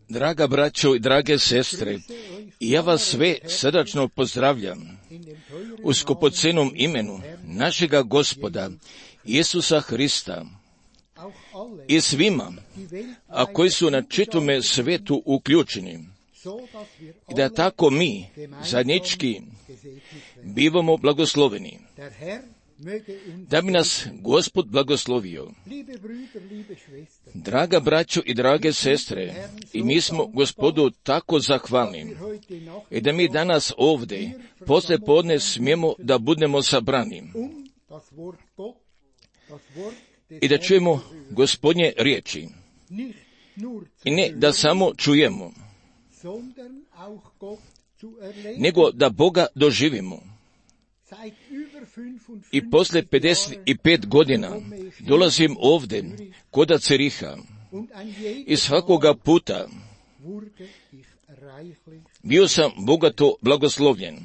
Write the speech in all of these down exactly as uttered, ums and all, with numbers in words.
Draga braćo i drage sestre, ja vas sve srdačno pozdravljam u skupocenom imenu našega Gospoda Isusa Hrista i svima, a koji su na čitome svetu uključeni, i da tako mi zajednički bivamo blagosloveni, da bi nas Gospod blagoslovio. Draga braćo i drage sestre, i mi smo Gospodu tako zahvalni, i da mi danas ovdje posle podne smijemo da budemo sabrani i da čujemo Gospodnje riječi, i ne da samo čujemo, nego da Boga doživimo. I posle pedeset pet godina dolazim ovdje kod Ceriha i svakoga puta bio sam bogato blagoslovljen.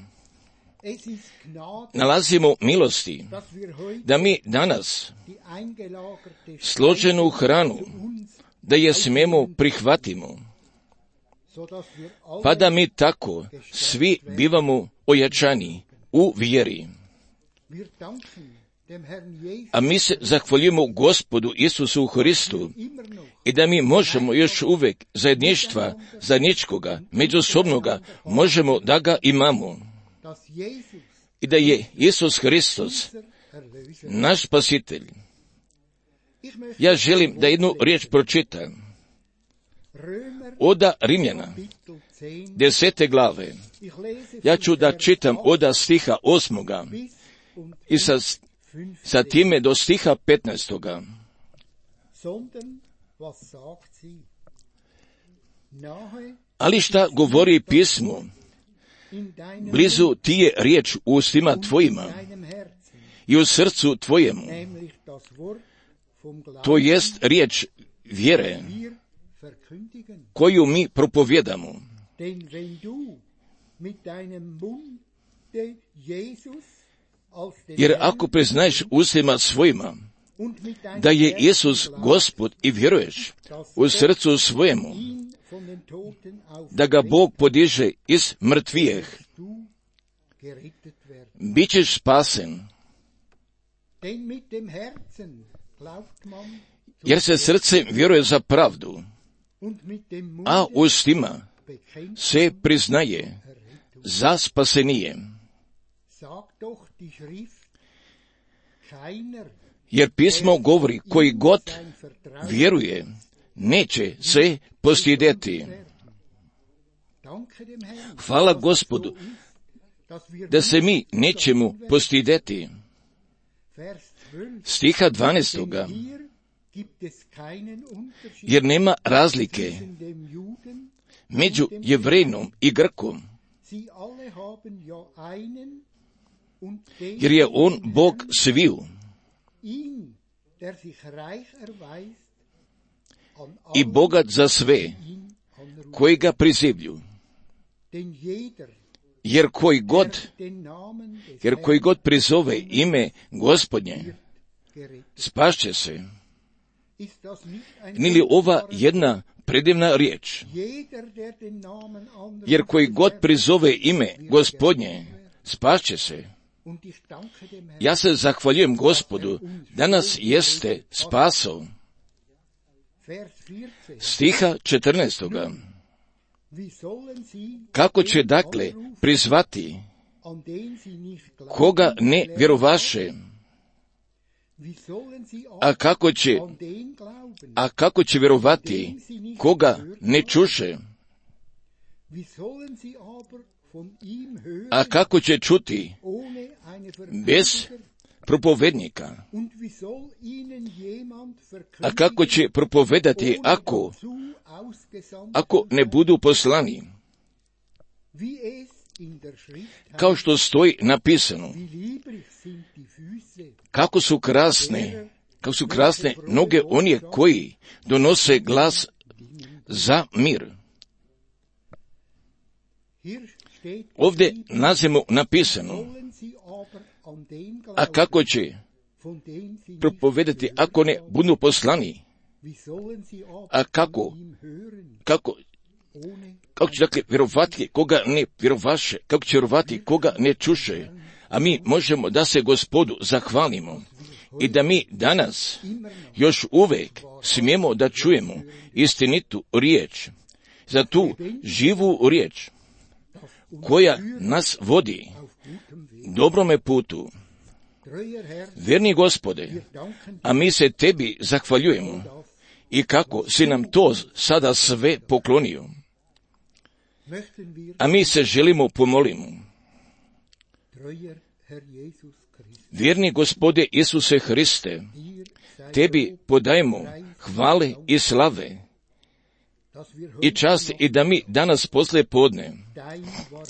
Nalazimo milosti da mi danas složenu hranu, da je smijemo prihvatimo, pa da mi tako svi bivamo ojačani u vjeri. A mi se zahvaljujemo Gospodu Isusu Hristu i da mi možemo još uvijek zajedništva, zajedničkoga, međusobnoga, možemo da ga imamo. I da je Isus Hristos naš spasitelj. Ja želim da jednu riječ pročitam. Oda Rimljana, desete glave. Ja ću da čitam oda stiha osmoga i sa, sa time do stiha petnaestoga. Ali šta govori pismo? Blizu ti je riječ u ustima tvojima i u srcu tvojemu. To jest riječ vjere koju mi propovjedamo. Jer ako priznaješ ustima svojima da je Isus Gospod i vjeruješ u srcu svojemu da ga Bog podiže iz mrtvijeh, bit ćeš spasen. Jer se srce vjeruje za pravdu, a ustima se priznaje za spasenije. Jer pismo govori, koji god vjeruje, neće se postidjeti. Hvala Gospodu, da se mi nećemo postidjeti. Stiha dvanaestoga. Jer nema razlike među Jevrejinom i Grkom, jer je on Bog sviju i bogat za sve koji ga prizivlju. Jer koji god, jer koji god prizove ime Gospodnje, spašće se. Nije li ova jedna predivna riječ? Jer koji god prizove ime Gospodnje, spašće se. Ja se zahvaljujem Gospodu, da nas jeste spasao. Stiha četrnaestoga. Kako će dakle prizvati koga ne vjerovaše? A kako će, a kako će vjerovati koga ne čuše? A kako će čuti bez propovednika? A kako će propovedati ako, ako ne budu poslani? Kao što stoji napisano, kako su krasne, kako su krasne noge onih koji donose glas za mir. Ovdje nazimo napisano, a kako će propovedati ako ne budu poslani? A kako, kako, kako će dakle vjerovati koga ne vjerovaše, kako će vjerovati koga ne čuše? A mi možemo da se Gospodu zahvalimo i da mi danas još uvijek smijemo da čujemo istinitu riječ, za tu živu riječ koja nas vodi dobrome putu. Vjerni Gospode, a mi se tebi zahvaljujemo i kako si nam to sada sve poklonio. A mi se želimo pomolimo. Vjerni Gospode Isuse Hriste, tebi podajemo hvale i slave i čast i da mi danas poslije podne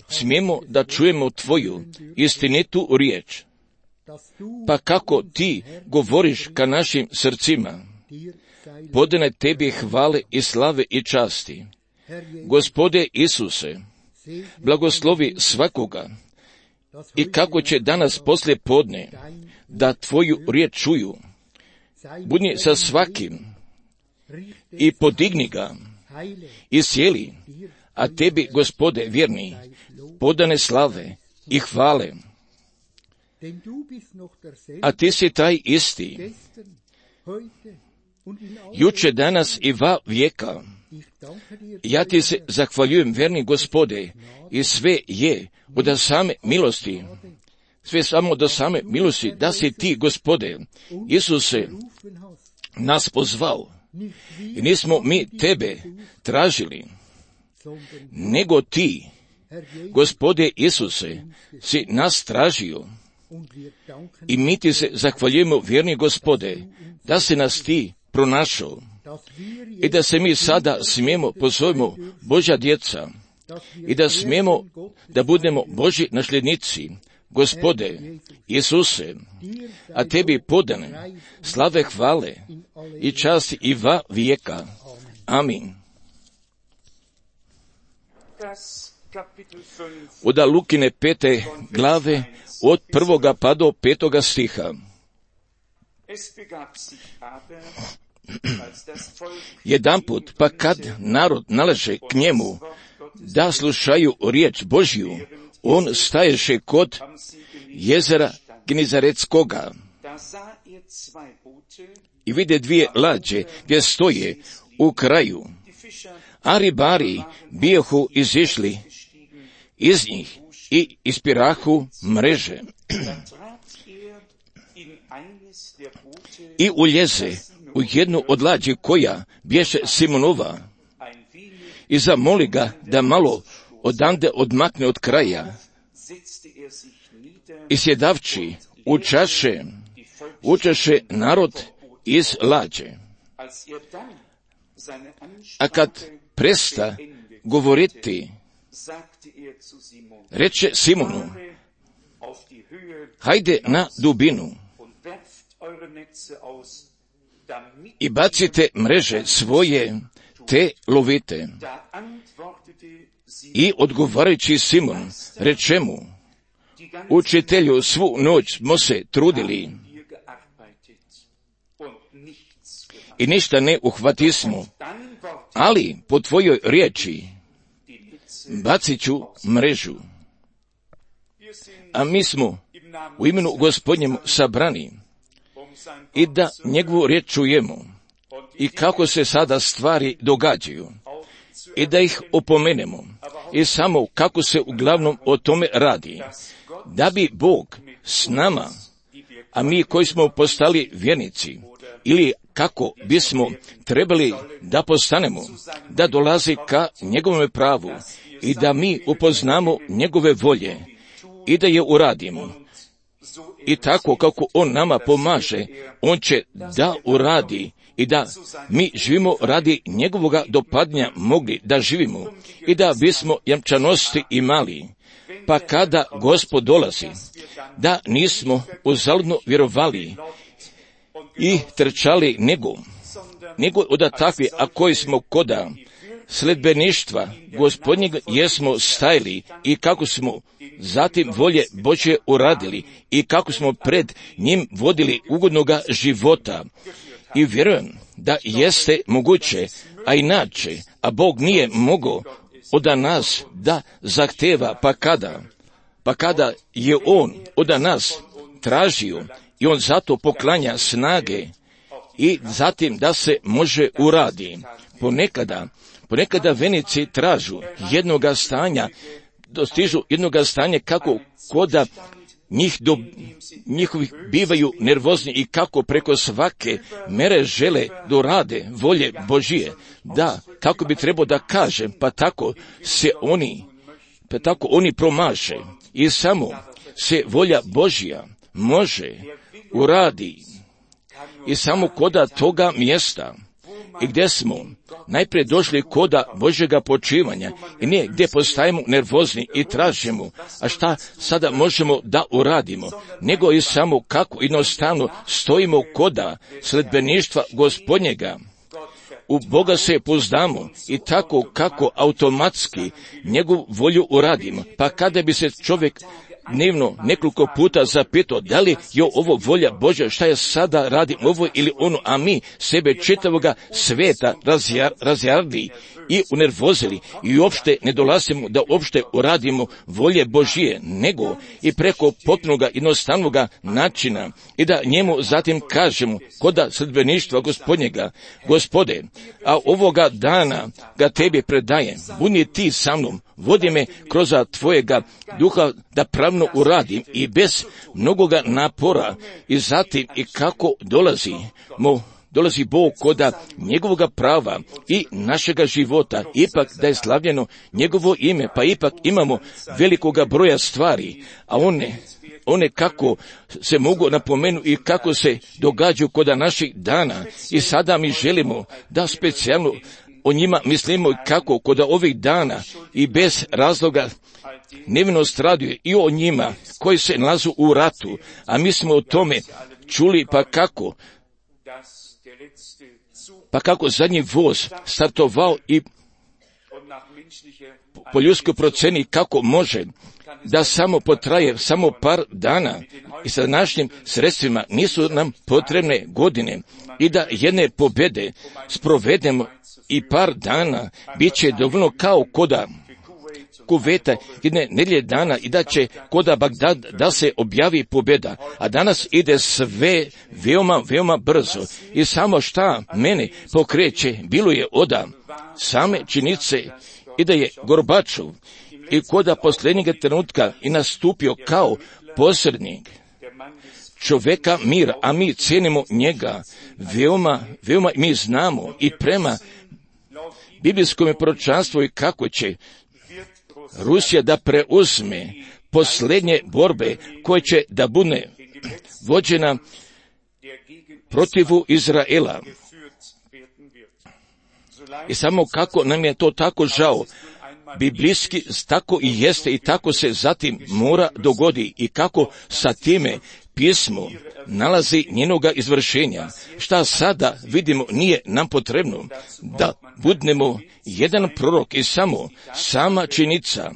smijemo da čujemo tvoju istinitu riječ. Pa kako ti govoriš ka našim srcima, podane tebi hvale i slave i časti. Gospode Isuse, blagoslovi svakoga i kako će danas poslije podne da tvoju riječ čuju. Budni sa svakim i podigni ga i sjeli, a tebi, Gospode vjerni, podane slave i hvale. A ti si taj isti, juče, danas i va vijeka. Ja ti se zahvaljujem, vjerni Gospode, i sve je od same milosti, sve samo do same milosti, da si ti, Gospode, Isuse, nas pozvao. I nismo mi tebe tražili, nego ti, Gospode Isuse, si nas tražio. I mi ti se zahvaljujemo, vjerni Gospode, da si nas ti pronašao i da se mi sada smijemo pozovemo Božja djeca i da smijemo da budemo Božji nasljednici. Gospode Isuse, a tebi podane slave, hvale i časti i va vijeka. Amin. Od Lukine pete glave, od prvoga pa do petoga stiha. Jedanput, pa kad narod naleže k njemu da slušaju riječ Božju, on staješe kod jezera Gnizaretskoga i vide dvije lađe gdje stoje u kraju, a ribari bijahu izišli iz njih i ispirahu mreže. i uljeze u jednu od lađi koja bješe Simonova i zamoli ga da malo odande odmakne od kraja i sjedavči učaše, učaše narod iz lađe. A kad presta govoriti, reče Simonu, hajde na dubinu i bacite mreže svoje, te lovite. I odgovarajući Simon reče mu, učitelju, svu noć smo se trudili i ništa ne uhvatismo, ali po tvojoj riječi bacit ću mrežu. A mi smo u imenu Gospodnjemu sabrani i da njegovu riječ čujemo i kako se sada stvari događaju i da ih opomenemo i samo kako se uglavnom o tome radi, da bi Bog s nama, a mi koji smo postali vjernici, ili kako bismo trebali da postanemo, da dolazi ka njegovome pravu i da mi upoznamo njegove volje i da je uradimo. I tako kako on nama pomaže, on će da uradi i da mi živimo radi njegovoga dopadnja mogli da živimo i da bismo jamčanosti imali. Pa kada Gospod dolazi, da nismo uzaludno vjerovali i trčali nego, nego od takvi, a koji smo koda sledbeništva Gospodnjeg jesmo stajali i kako smo zatim volje Božje uradili i kako smo pred njim vodili ugodnoga života. I vjerujem da jeste moguće, a inače, a Bog nije mogao od nas da zahteva, pa kada, pa kada je On od nas tražio i On zato poklanja snage i zatim da se može uradi. Ponekada, ponekada venici tražu jednoga stanja, dostižu jednoga stanja kako koda njih do, njihovih bivaju nervozni i kako preko svake mere žele dorade volje Božije, da, kako bi trebao da kažem, pa tako se oni, pa tako oni promaše i samo se volja Božja može uradi i samo koda toga mjesta i gdje smo najprije došli koda Božjega počivanja i nije gdje postajemo nervozni i tražimo, a šta sada možemo da uradimo, nego i samo kako jednostavno stojimo koda sledbeništva Gospodnjega. U Boga se pouzdamo i tako kako automatski njegovu volju uradimo. Pa kada bi se čovjek dnevno nekoliko puta zapitao da li je ovo volja Božja, šta je sada radim ovo ili ono, a mi sebe čitavoga sveta razjar, razjarili i unervozili i uopšte ne dolazimo da uopšte uradimo volje Božije, nego i preko potpunoga jednostavnoga načina i da njemu zatim kažemo koda sledbeništva Gospodnjega, Gospode, a ovoga dana ga tebi predajem, budi ti sa mnom, vodi me kroz tvojega duha da pravno uradim i bez mnogoga napora i zatim i kako dolazi mo dolazi Bog koda njegovoga prava i našega života, ipak da je slavljeno njegovo ime, pa ipak imamo velikoga broja stvari, a one, one kako se mogu napomenuti i kako se događaju koda naših dana i sada mi želimo da specijalno o njima mislimo i kako koda ovih dana i bez razloga nevino straduju i o njima koji se nalazu u ratu, a mi smo o tome čuli pa kako pa kako zadnji voz startovao i po ljudskoj proceni kako može da samo potraje samo par dana i sa današnjim sredstvima nisu nam potrebne godine i da jedne pobjede sprovedemo i par dana bit će dovoljno kao koda Kuveta jedne nedjelje dana i da će koda Bagdad da se objavi pobjeda, a danas ide sve veoma, veoma brzo i samo šta mene pokreće bilo je oda same činjenice i da je Gorbačov i koda posljednjeg trenutka i nastupio kao posrednik, čovjeka mira, a mi cijenimo njega. Veoma, veoma mi znamo i prema biblijskom proročanstvu i kako će Rusija da preuzme posljednje borbe koje će da bude vođena protivu Izraela. I samo kako nam je to tako žao, biblijski tako i jeste i tako se zatim mora dogodi i kako sa time pismo nalazi njenoga izvršenja. Šta sada vidimo nije nam potrebno da budemo jedan prorok i samo sama činjenica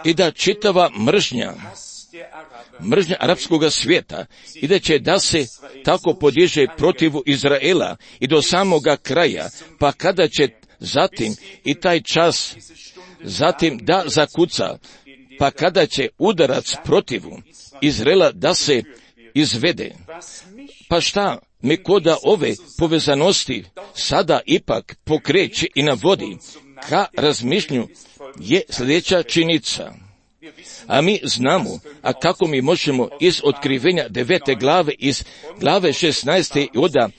i da čitava mržnja mržnja arapskog svijeta i da će da se tako podiže protivu Izraela i do samoga kraja, pa kada će zatim i taj čas zatim da zakuca, pa kada će udarac protivu Izraela da se izvede. Pa šta me koda ove povezanosti sada ipak pokreće i navodi ka razmišljanju je sljedeća činjenica. A mi znamo, a kako mi možemo iz otkrivenja devete glave, iz glave šesnaeste i oda,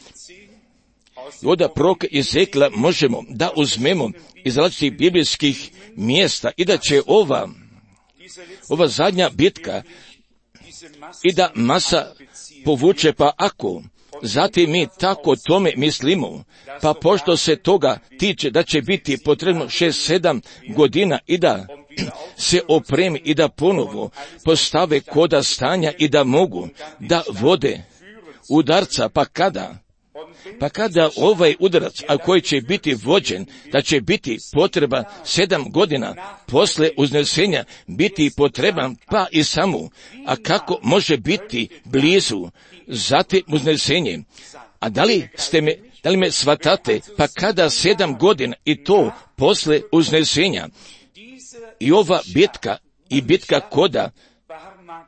i oda proroka Ezekla možemo da uzmemo iz različitih biblijskih mjesta i da će ova, ova zadnja bitka i da masa povuče, pa ako zatim mi tako tome mislimo, pa pošto se toga tiče da će biti potrebno šest, sedam godina i da se opremi i da ponovo postave koda stanja i da mogu da vode udarca, pa kada? Pa kada ovaj udarac, a koji će biti vođen, da će biti potreba sedam godina posle uznesenja, biti potreban pa i samo, a kako može biti blizu zatim uznesenje? A da li ste me, da li me shvatate, pa kada sedam godina i to posle uznesenja? I ova bitka i bitka koda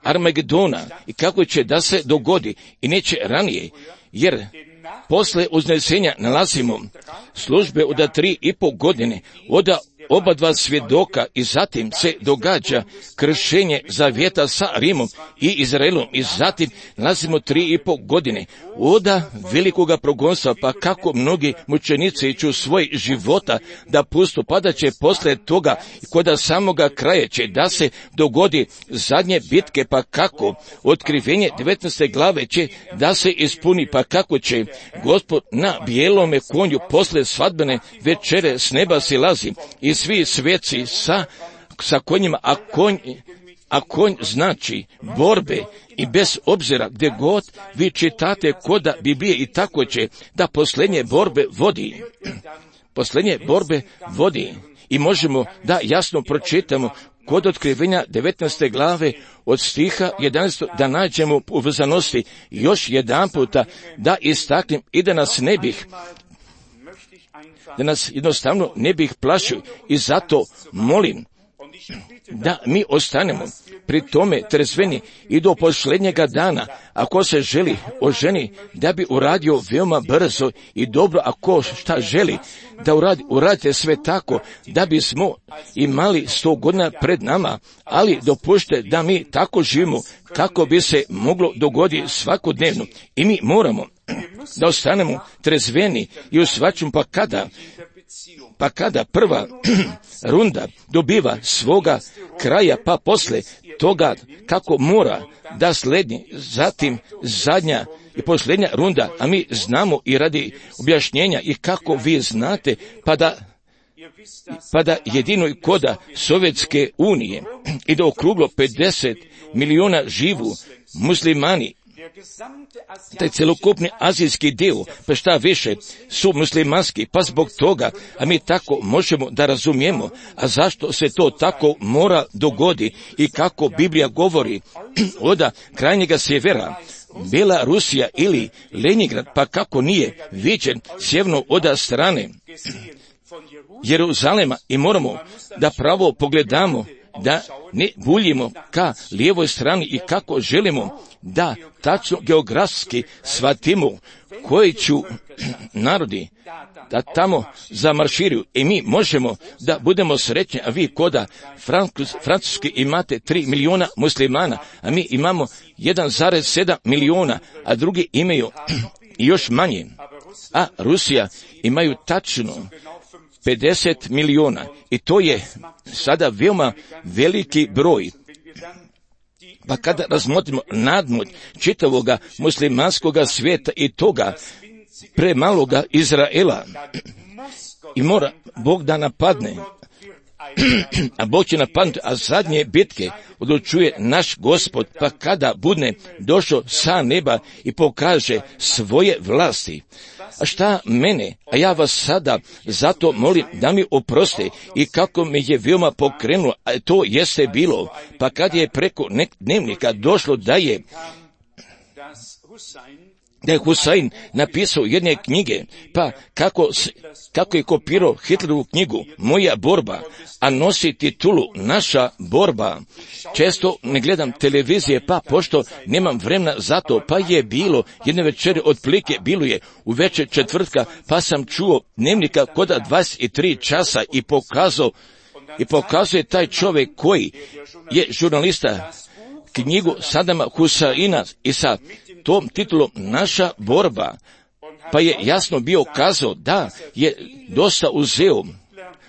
Armagedona i kako će da se dogodi i neće ranije, jer posle uznesenja nalazimo službe od tri i pol godine, od oba dva svjedoka i zatim se događa kršenje zavjeta sa Rimom i Izraelom i zatim nalazimo tri i pol godine oda velikoga progonstva, pa kako mnogi mučenici ću svoj života da pustu, pa da će posle toga koda samoga kraja će da se dogodi zadnje bitke, pa kako otkrivenje devetnaeste glave će da se ispuni, pa kako će Gospod na bijelome konju posle svadbene večere s neba silazi i svi sveci sa, sa konjima, a konj, a konj znači borbe i bez obzira gdje god vi čitate koda Biblije i tako će da posljednje borbe vodi. Posljednje borbe vodi i možemo da jasno pročitamo kod otkrivenja devetnaeste glave od stiha jedanaestog da nađemo u vezanosti još jedan puta da istaknem i da nas ne bih da nas jednostavno ne bih plašio i zato molim da mi ostanemo pri tome trezveni i do posljednjega dana. Ako se želi oženi, da bi uradio veoma brzo i dobro, ako šta želi da uradi, uradite sve tako da bismo imali sto godina pred nama, ali dopušte da mi tako živimo kako bi se moglo dogoditi svakodnevno i mi moramo da ostanemo trezveni i u svačem, pa kada pa kada prva runda dobiva svoga kraja, pa posle toga kako mora da sledi zatim zadnja i posljednja runda, a mi znamo i radi objašnjenja i kako vi znate, pa da pa da jedino koda Sovjetske unije i da okruglo pedeset miliona živu muslimani, taj celokupni azijski dio, pa šta više, su muslimanski, pa zbog toga, a mi tako možemo da razumijemo, a zašto se to tako mora dogodi i kako Biblija govori oda krajnjega sjevera, Bela Rusija ili Leningrad, pa kako nije viđen sjeverno oda strane Jeruzalema i moramo da pravo pogledamo da ne buljimo ka lijevoj strani i kako želimo da tačno geografski shvatimo koji ću narodi da tamo zamarširaju i mi možemo da budemo sretni, a vi koda Francuski imate tri miliona muslimana, a mi imamo jedan zarez sedam miliona, a drugi imaju još manje, a Rusija imaju tačno pedeset miliona i to je sada veoma veliki broj. Pa kada razmotrimo nadmoć čitavoga muslimanskoga svijeta i toga premaloga Izraela, i mora Bog da napadne, a Bog će napadnuti, a zadnje bitke odlučuje naš Gospod, pa kada bude došao sa neba i pokaže svoje vlasti. A šta mene, a ja vas sada zato molim da mi oproste i kako me je veoma pokrenulo, a to jeste bilo, pa kad je preko nek dnevnika došlo da je da je Husain napisao jedne knjige, pa kako, kako je kopirao Hitlerovu knjigu Moja borba, a nosi titulu Naša borba. Često ne gledam televizije, pa pošto nemam vremena za to, pa je bilo jedne večeri otprilike, bilo je u večer četvrtka, pa sam čuo dnevnika koda dvadeset tri časa i pokazao i pokazuje taj čovjek koji je žurnalista knjigu Sadama Husaina i sa tom titulom Naša borba, pa je jasno bio kazao da je dosta uzeo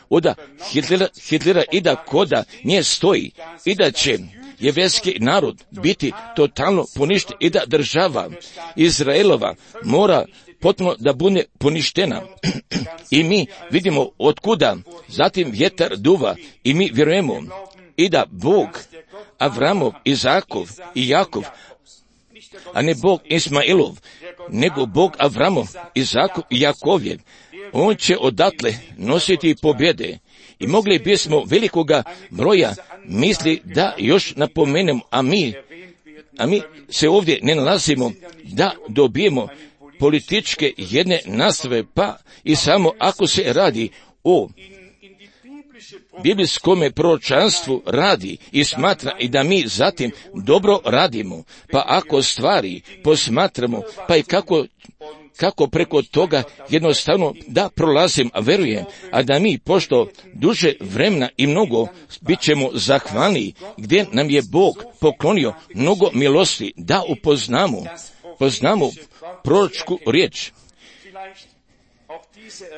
od Hitlera, Hitlera i da koda nje stoji i da će jevrijski narod biti totalno poništen i da država Izraelova mora potpuno da bude poništena. I mi vidimo otkuda zatim vjetar duva i mi vjerujemo i da Bog Avramov, Izakov i Jakov, a ne Bog Ismailov, nego Bog Avramov, Izakov i Jakovjev, on će odatle nositi pobjede. I mogli bismo velikoga broja misli da još napomenemo, a mi, a mi se ovdje ne nalazimo da dobijemo političke jedne nastave, pa i samo ako se radi o biblijskome proročanstvu radi i smatra i da mi zatim dobro radimo, pa ako stvari posmatramo, pa i kako, kako preko toga jednostavno da prolazim, a verujem, a da mi pošto duže vremena i mnogo bit ćemo zahvalni, gdje nam je Bog poklonio mnogo milosti, da upoznamo, poznamo proročku riječ.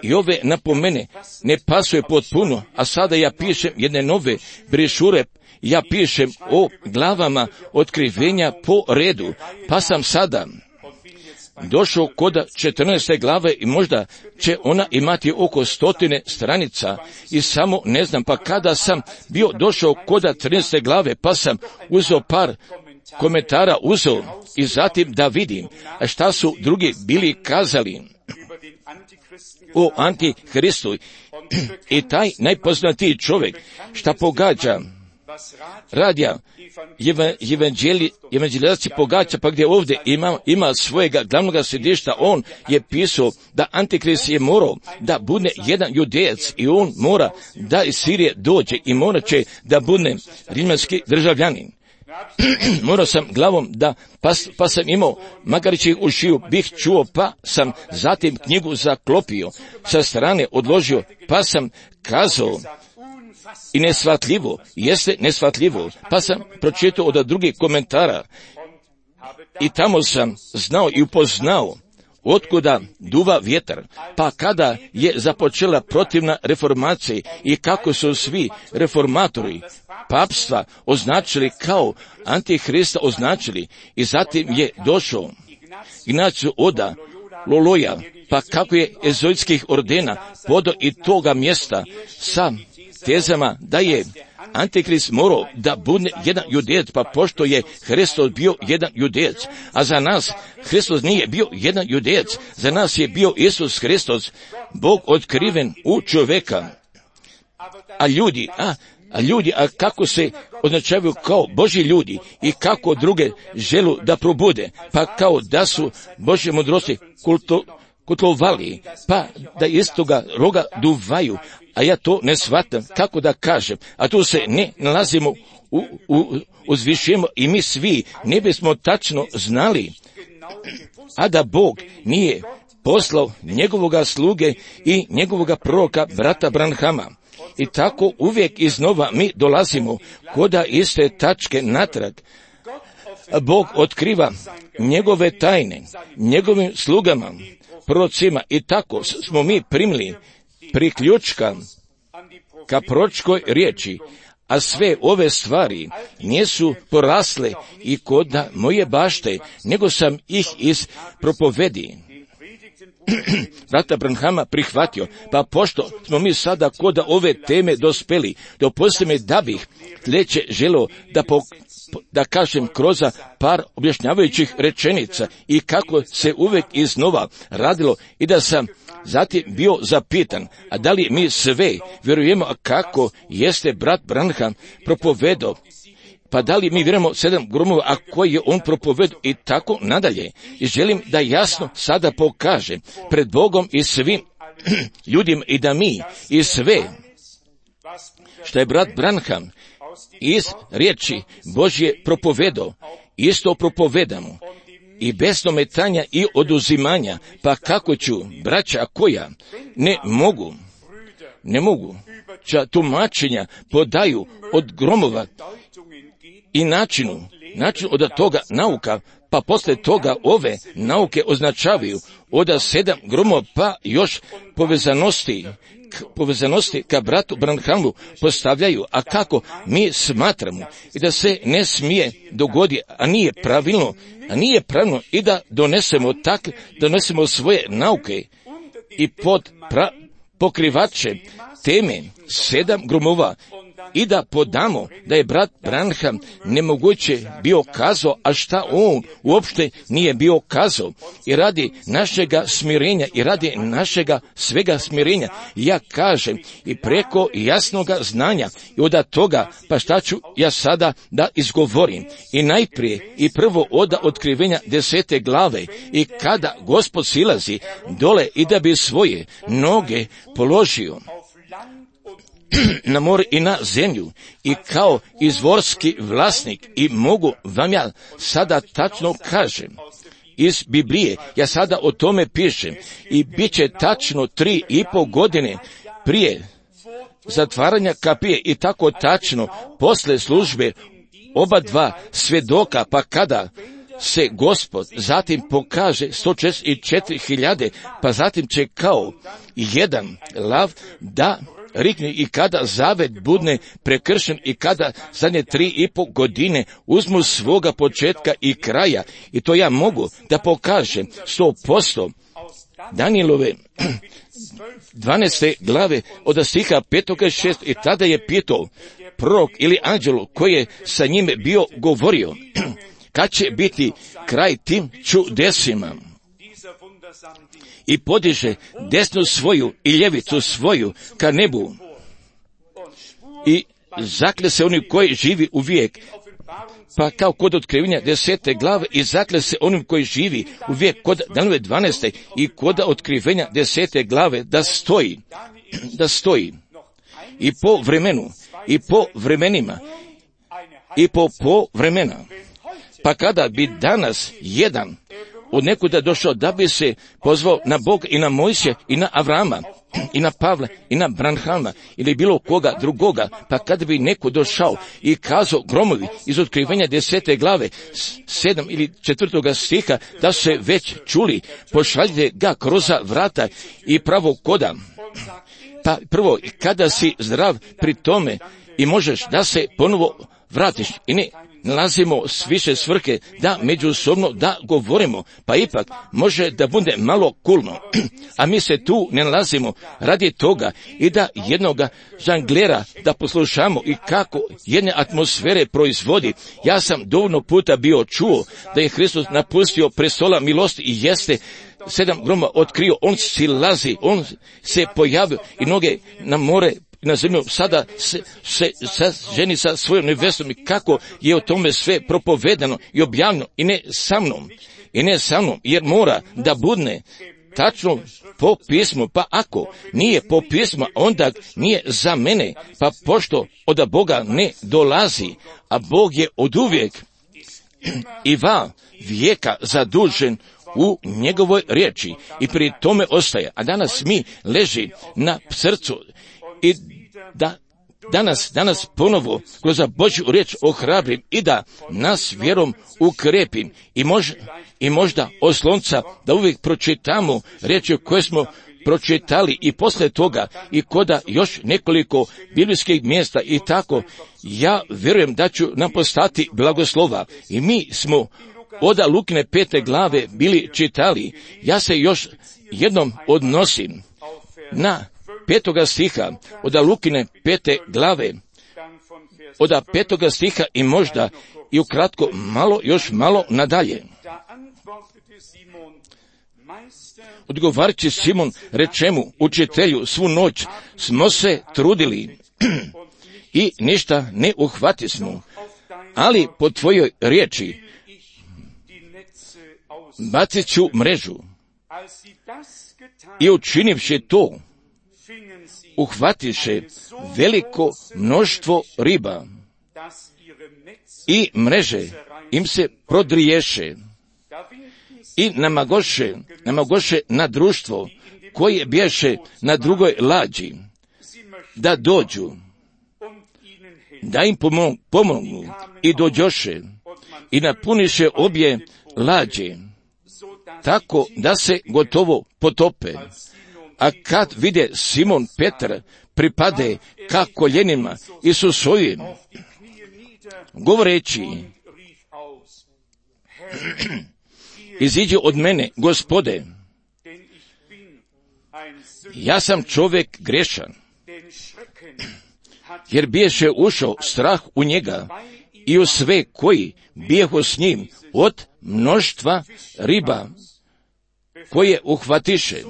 I ove napomene ne pasuje potpuno, a sada ja pišem jedne nove brešure, ja pišem o glavama otkrivenja po redu, pa sam sada došao koda četrnaeste glave i možda će ona imati oko stotine stranica i samo ne znam, pa kada sam bio došao koda trinaeste glave, pa sam uzeo par komentara uzeo i zatim da vidim a šta su drugi bili kazali o Antihristu. I taj najpoznatiji čovjek šta pogađa radija evanđelijaci pogađa, pa gdje ovdje ima, ima svojega glavnog središta, on je pisao da Antikrist je morao da bude jedan judejac i on mora da iz Sirije dođe i mora će da bude rimski državljanin. Morao sam glavom da, pa, pa sam imao Magarićih ušiju, bih čuo, pa sam zatim knjigu zaklopio, sa strane odložio, pa sam kazao, i neshvatljivo, jeste neshvatljivo, pa sam pročitao od drugih komentara i tamo sam znao i upoznao otkuda duva vjetar, pa kada je započela protivna reformacija i kako su svi reformatori papstva označili kao Antihrista označili i zatim je došao Ignaciju Oda Loloja, pa kako je ezoitskih ordena podo i toga mjesta sa tezama da je Antikrist morao da bude jedan judejac, pa pošto je Hristos bio jedan judejac, a za nas Hristos nije bio jedan judejac, za nas je bio Isus Hristos, Bog otkriven u čovjeka. A ljudi, a, a ljudi, a kako se označavaju kao Božji ljudi i kako druge želu da probude, pa kao da su Božje mudrosti kulto, kutlovali, pa da iz toga roga duvaju, a ja to ne shvatam, kako da kažem, a tu se ne nalazimo u, u, uzvišujemo i mi svi ne bismo tačno znali, a da Bog nije poslao njegovoga sluge i njegovoga proroka brata Branhama. I tako uvijek iznova mi dolazimo koda iste tačke natrag. Bog otkriva njegove tajne, njegovim slugama, prorocima, i tako smo mi primili priključka ka proročkoj riječi, a sve ove stvari nisu porasle i koda moje bašte, nego sam ih iz propovedi brata Branhama prihvatio, pa pošto smo mi sada koda ove teme dospeli, dopustite mi da bih sljedeće želio da po, da kažem kroz par objašnjavajućih rečenica i kako se uvijek iznova radilo i da sam zatim bio zapitan, a da li mi sve vjerujemo, a kako jeste brat Branham propovedao, pa da li mi vjerujemo sedam gromova, a koji je on propovedao i tako nadalje. I želim da jasno sada pokažem pred Bogom i svim ljudima i da mi i sve što je brat Branham iz riječi Božje propovedao, isto propovedamo. I bez ometanja i oduzimanja, pa kako ću, braća koja ne mogu, ne mogu, ča tumačenja podaju od gromova i načinu, načinu od toga nauka, pa posle toga ove nauke označavaju od sedam gromova, pa još povezanosti, k, povezanosti ka bratu Branhamu postavljaju, a kako mi smatramo i da se ne smije dogoditi, a nije pravilno, a nije pravilno i da donesemo tak, donesemo svoje nauke i pod pra, pokrivače teme sedam gromova i da podamo da je brat Branham nemoguće bio kazao, a šta on uopšte nije bio kazao. I radi našega smirenja i radi našega svega smirenja, ja kažem, i preko jasnoga znanja i od toga, pa šta ću ja sada da izgovorim. I najprije i prvo od otkrivenja desete glave, i kada Gospod silazi dole i da bi svoje noge položio na more i na zemlju, i kao izvorski vlasnik, i mogu vam ja sada tačno kažem iz Biblije, ja sada o tome pišem, i bit će tačno tri i pol godine prije zatvaranja kapije i tako tačno posle službe oba dva svedoka, pa kada se Gospod zatim pokaže sto četrdeset četiri hiljade, pa zatim će kao jedan lav da rikne, i kada zavet budne prekršen i kada zadnje tri i pol godine uzmu svoga početka i kraja, i to ja mogu da pokažem sto posto. Danijelove dvanaeste glave od stiha petog i šest, i tada je pitao prorok ili anđelu koji je sa njime bio govorio, kad će biti kraj tim čudesima? I podiže desnu svoju i ljevicu svoju ka nebu i zakle se oni koji živi uvijek, pa kao kod otkrivenja desete glave, i zakle se onim koji živi uvijek kod Danijelove dvanaeste i kod otkrivenja desete glave da stoji, da stoji i po vremenu i po vremenima i po po vremena. Pa kada bi danas jedan od nekuda došao da bi se pozvao na Bog i na Mojsija i na Avrama i na Pavla i na Branhama ili bilo koga drugoga, pa kada bi neko došao i kazao gromovi iz otkrivenja desete glave sedam ili četvrtoga stiha da se već čuli, pošaljite ga kroz vrata i pravo koda. Pa prvo, kada si zdrav pri tome i možeš da se ponovo vratiš i ne nalazimo s više svrhe da međusobno da govorimo, pa ipak može da bude malo kulno, a mi se tu ne nalazimo radi toga i da jednoga žanglera da poslušamo i kako jedne atmosfere proizvodi. Ja sam dovoljno puta bio čuo da je Hristos napustio prestola milosti i jeste sedam groma otkrio, on silazi, on se pojavio i noge na more na zemlju, sada se, se, se ženi sa svojom nevestom, i kako je o tome sve propovedano i objavljeno, i ne sa mnom, i ne sa mnom, jer mora da budne tačno po pismu, pa ako nije po pismu, onda nije za mene, pa pošto od Boga ne dolazi, a Bog je oduvijek i va vijeka zadužen u njegovoj riječi i pri tome ostaje. A danas mi leži na srcu i da danas, danas ponovo kroz Božju riječ ohrabrim i da nas vjerom ukrepim i, mož, i možda oslonca da uvijek pročitamo riječi koje smo pročitali i posle toga i koda još nekoliko biblijskih mjesta i tako, ja vjerujem da ću nam postati blagoslova. I mi smo od Lukine pete glave bili čitali. Ja se još jednom odnosim na petoga stiha od Lukine pete glave, od petoga stiha i možda i ukratko malo, još malo nadalje. Odgovarajući Simon reče mu, učitelju, svu noć smo se trudili i ništa ne uhvatismo, ali po tvojoj riječi bacit ću mrežu. I učinivši to, uhvatiše veliko mnoštvo riba i mreže im se prodriješe i namagoše, namagoše na društvo koje bješe na drugoj lađi, da dođu, da im pomognu i dođoše i napuniše obje lađe, tako da se gotovo potope. A kad vide Simon Petar pripade ka koljenima Isusovim, govoreći, iziđi od mene, Gospode, ja sam čovjek grešan, jer biješe ušao strah u njega i u sve koji bijehu s njim od mnoštva riba koje uhvatiše.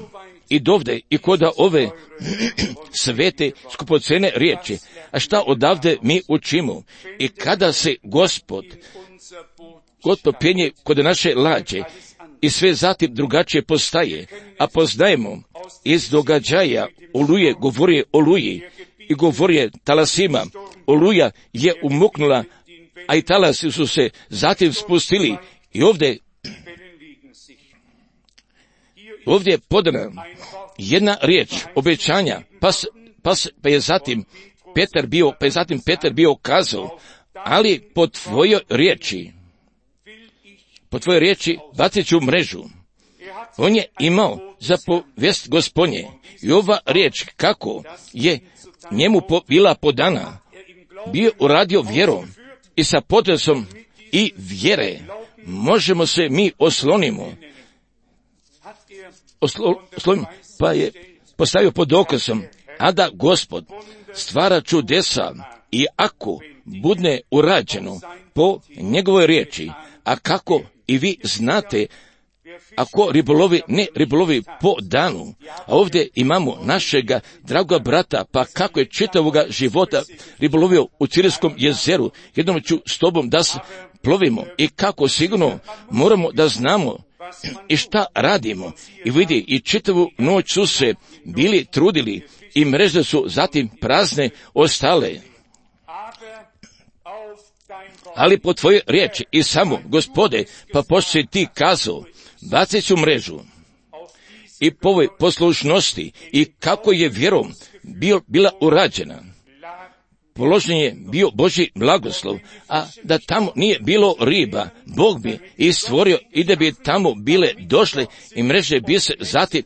I dovde i koda ove svete skupocene riječi. A šta odavde mi učimo? I kada se Gospod, Gospod penje kod naše lađe i sve zatim drugačije postaje, a poznajemo iz događaja Oluje, govori Oluji i govori talasima. Oluja je umuknula, a i talasi su se zatim spustili i ovdje Ovdje je podana jedna riječ obećanja, pa, pa, pa je zatim Petar bio, pa je zatim Petar bio kazao, ali po tvojoj riječi, po tvojoj riječi bacit ću mrežu. On je imao zapovijest Gospodnje i ova riječ kako je njemu po, bila podana, bio uradio vjerom i sa potresom i vjere možemo se mi oslonimo. Oslovim, pa je postavio pod dokazom, a da Gospod stvara čudesa i ako budne urađeno po njegovoj riječi, a kako i vi znate, ako ribolovi, ne ribolovi po danu, a ovdje imamo našega dragoga brata, pa kako je čitavoga života ribolovio u Cirijskom jezeru, jednom ću s tobom da plovimo i kako sigurno moramo da znamo i šta radimo. I vidi, i čitavu noć su se bili trudili i mreže su zatim prazne ostale. Ali po tvojoj riječi i samo, Gospode, pa pošto si ti kazao, bacit ću mrežu. I po ovoj poslušnosti i kako je vjerom bio, bila urađena, položen je bio Božji blagoslov, a da tamo nije bilo riba, Bog bi i stvorio i da bi tamo bile došle i mreže bi se zatim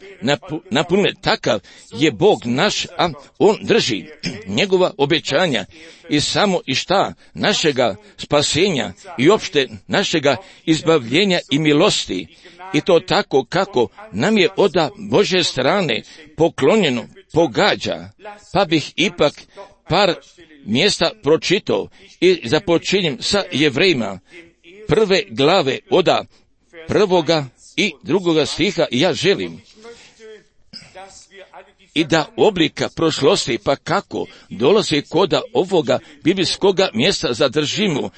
napunile. Takav je Bog naš, a On drži njegova obećanja i samo i šta našega spasenja i opšte našega izbavljenja i milosti. I to tako kako nam je od Božje strane poklonjeno pogađa, pa bih ipak par mjesta pročitao i započinjem sa Jevrejima prve glave od prvoga i drugoga stiha. Ja želim i da oblika prošlosti, pa kako dolazi koda ovoga biblijskoga mjesta zadržimo,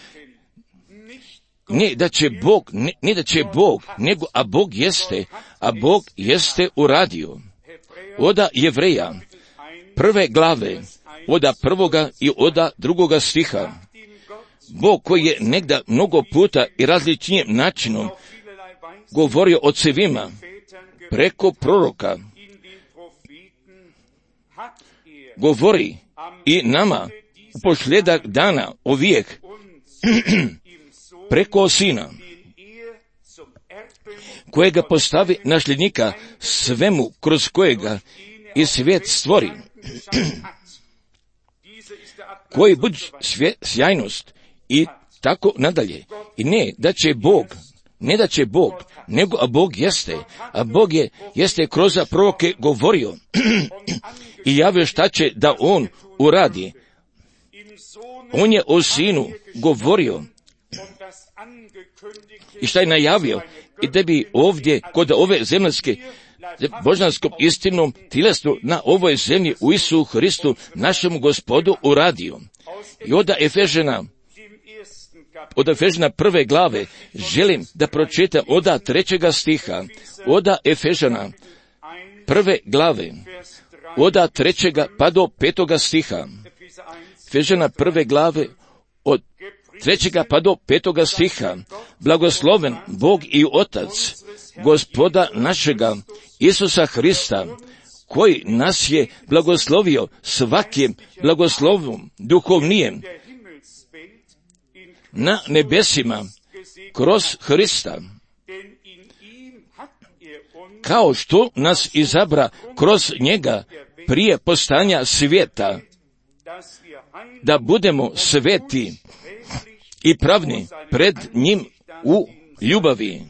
ne da će Bog, ne, ne da će Bog, nego, a Bog jeste, a Bog jeste uradio. Oda Jevreja, prve glave, oda prvoga i oda drugoga stiha. Bog koji je negda mnogo puta i različitim načinom govorio ocevima preko proroka, govori i nama u posljedak dana ovijek preko Sina, kojega postavi nasljednika svemu kroz kojega i svijet stvori, koji budi sjajnost i tako nadalje. I ne da će Bog, ne da će Bog, nego a Bog jeste, a Bog je, jeste kroz proroke govorio i javio šta će da On uradi. On je o Sinu govorio i šta je najavio, i da bi ovdje kod ove zemaljske božanskom istinom tjelesnu na ovoj zemlji u Isusu Hristu našemu Gospodu uradio. I od Efežana, od Efežana prve glave želim da pročitam od trećega stiha, od Efežana prve glave, od trećega pa do petoga stiha. Efežana prve glave od trećega pa do petoga stiha. Blagosloven Bog i Otac Gospoda našega Isusa Hrista, koji nas je blagoslovio svakim blagoslovom duhovnijem na nebesima kroz Hrista, kao što nas izabra kroz njega prije postanja svijeta, da budemo sveti i pravni pred njim u ljubavi,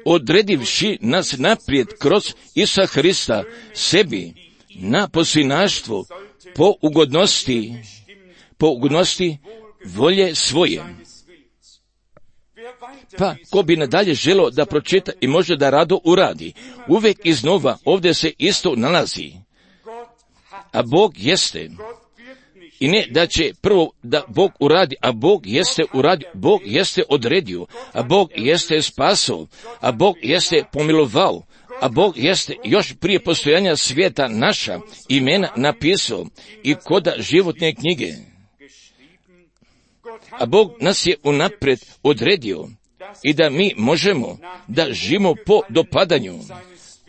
odredivši nas naprijed kroz Isusa Hrista sebi na posvinaštvo po ugodnosti, po ugodnosti volje svoje. Pa, ko bi nadalje želo da pročita i može da rado uradi, uvijek iznova ovdje se isto nalazi. A Bog jeste. I ne da će prvo da Bog uradi, a Bog jeste uradio, Bog jeste odredio, a Bog jeste spasao, a Bog jeste pomilovao, a Bog jeste još prije postojanja svijeta naša imena napisao i koda životne knjige. A Bog nas je unaprijed odredio i da mi možemo da živimo po dopadanju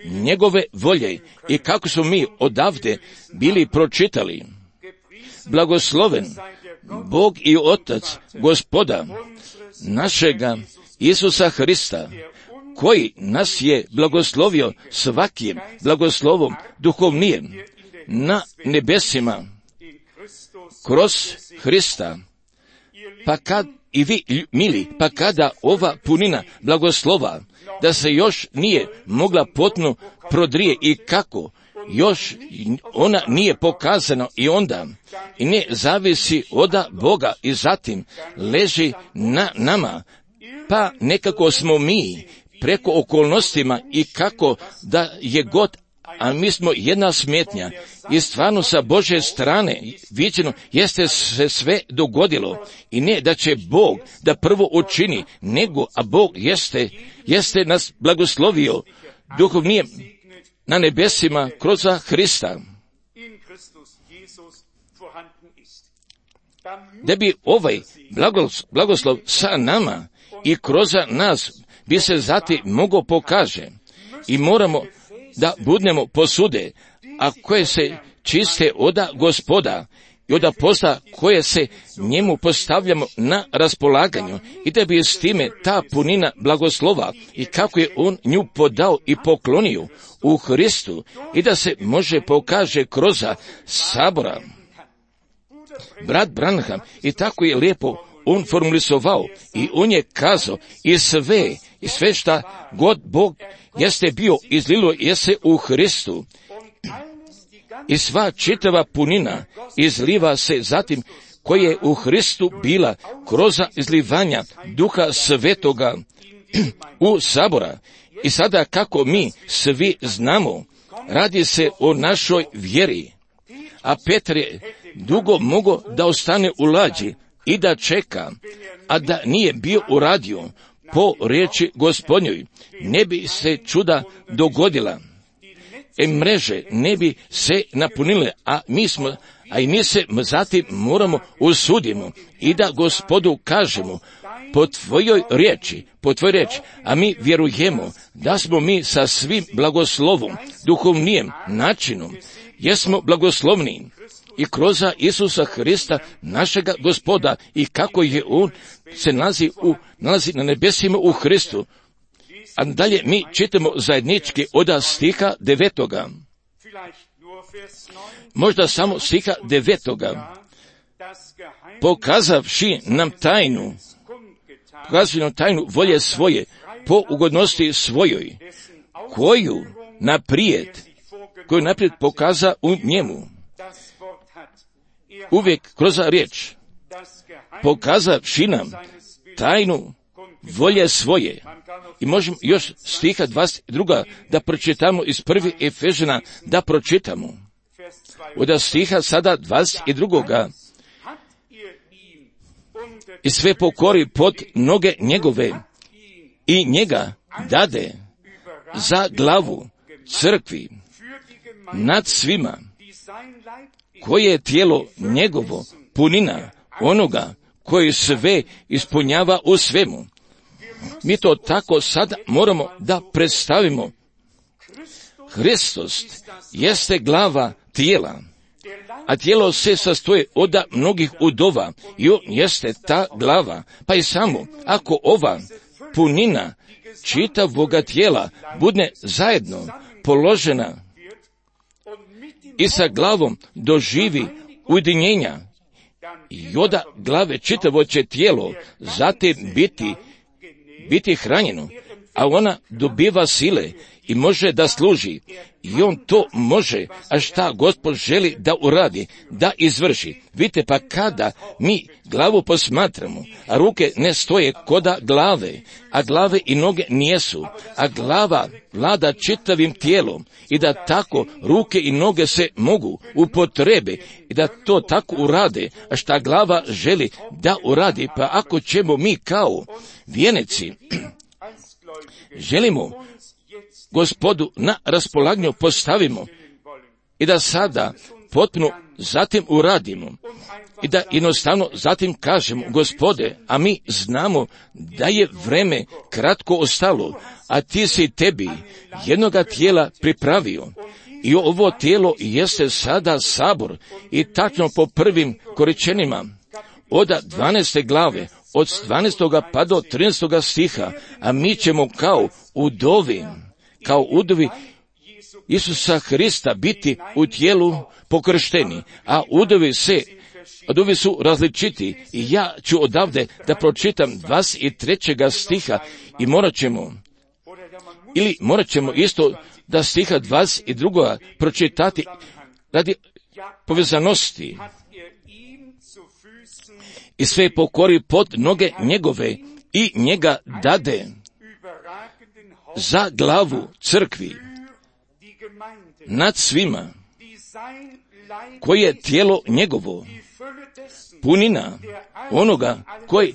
njegove volje i kako smo mi odavde bili pročitali. Blagosloven Bog i Otac Gospoda našega Isusa Hrista, koji nas je blagoslovio svakim blagoslovom duhovnijem na nebesima kroz Hrista. Pa kad i vi, mili, pa kada ova punina blagoslova, da se još nije mogla potpuno prodrije i kako, još ona nije pokazana i onda, i ne zavisi od Boga i zatim leži na nama, pa nekako smo mi preko okolnostima i kako da je god, a mi smo jedna smetnja i stvarno sa Božje strane viđeno jeste se sve dogodilo i ne da će Bog da prvo učini, nego, a Bog jeste, jeste nas blagoslovio duhovnijem na nebesima kroz Hrista. Da bi ovaj blagoslov sa nama i kroz nas bi se zatim mogao pokaže i moramo da budemo posude, a koje se čiste oda Gospoda i oda posla koje se njemu postavljamo na raspolaganju i da bi s time ta punina blagoslova i kako je on nju podao i poklonio u Hristu i da se može pokaže kroz sabora. Brat Branham i tako je lijepo on formulisovao i on je kazao i sve, i sve šta god Bog jeste bio izlilo jeste u Hristu i sva čitava punina izliva se zatim koja je u Hristu bila kroz izlivanja Duha Svetoga u sabora. I sada kako mi svi znamo, radi se o našoj vjeri. A Petar je dugo mogao da ostane u lađi, i da čeka, a da nije bio uradio po riječi Gospodnjoj, ne bi se čuda dogodila. E mreže ne bi se napunile, a mi smo, a i mi se zatim moramo usudimo i da Gospodu kažemo, po tvojoj riječi, po tvojoj riječi, a mi vjerujemo da smo mi sa svim blagoslovom, duhovnijem načinom, jesmo blagoslovni i kroz Isusa Hrista, našega Gospoda, i kako je On se nalazi, u, nalazi na nebesima u Hristu. A dalje mi čitamo zajednički od stiha devetoga. Možda samo stiha devetoga. Pokazavši nam tajnu, pokazavši nam tajnu volje svoje, po ugodnosti svojoj, koju naprijed, koju naprijed pokaza u njemu. Uvijek kroz riječ, pokazavši nam tajnu volje svoje. I možemo još stiha dvadeset dva da pročitamo iz prvi Efežana, da pročitamo. Od stiha sada dvadeset dva. I sve pokori pod noge njegove i njega dade za glavu crkvi nad svima, koje je tijelo njegovo, punina onoga koji sve ispunjava u svemu. Mi to tako sad moramo da predstavimo. Hristos jeste glava tijela, a tijelo se sastoji od mnogih udova i on jeste ta glava. Pa i samo ako ova punina čitavoga tijela bude zajedno položena i sa glavom doživi ujedinjenja, i od glave čitavo će tijelo zatim biti biti hranjeno, a ona dobiva sile i može da služi. I on to može, a šta Gospod želi da uradi, da izvrši. Vidite, pa kada mi glavu posmatramo, a ruke ne stoje koda glave, a glave i noge nijesu, a glava vlada čitavim tijelom, i da tako ruke i noge se mogu upotrebe i da to tako urade, a šta glava želi da uradi. Pa ako ćemo mi kao vjenici želimo Gospodu na raspolaganju postavimo i da sada potpuno zatim uradimo i da jednostavno zatim kažemo, Gospode, a mi znamo da je vreme kratko ostalo, a ti si tebi jednoga tijela pripravio i ovo tijelo jeste sada sabor, i tačno po prvim koričenima od dvanaeste glave, od dvanaestog pa do trinaestog stiha, a mi ćemo kao udovi, kao udovi Isusa Hrista biti u tijelu pokršteni, a udovi se, udovi su različiti, i ja ću odavde da pročitam dvadeset trećeg stiha i morat ćemo, ili morat ćemo isto da stiha dvadeset drugog pročitati radi povezanosti. I sve pokori pod noge njegove i njega dade za glavu crkvi nad svima, koje je tijelo njegovo, punina onoga koji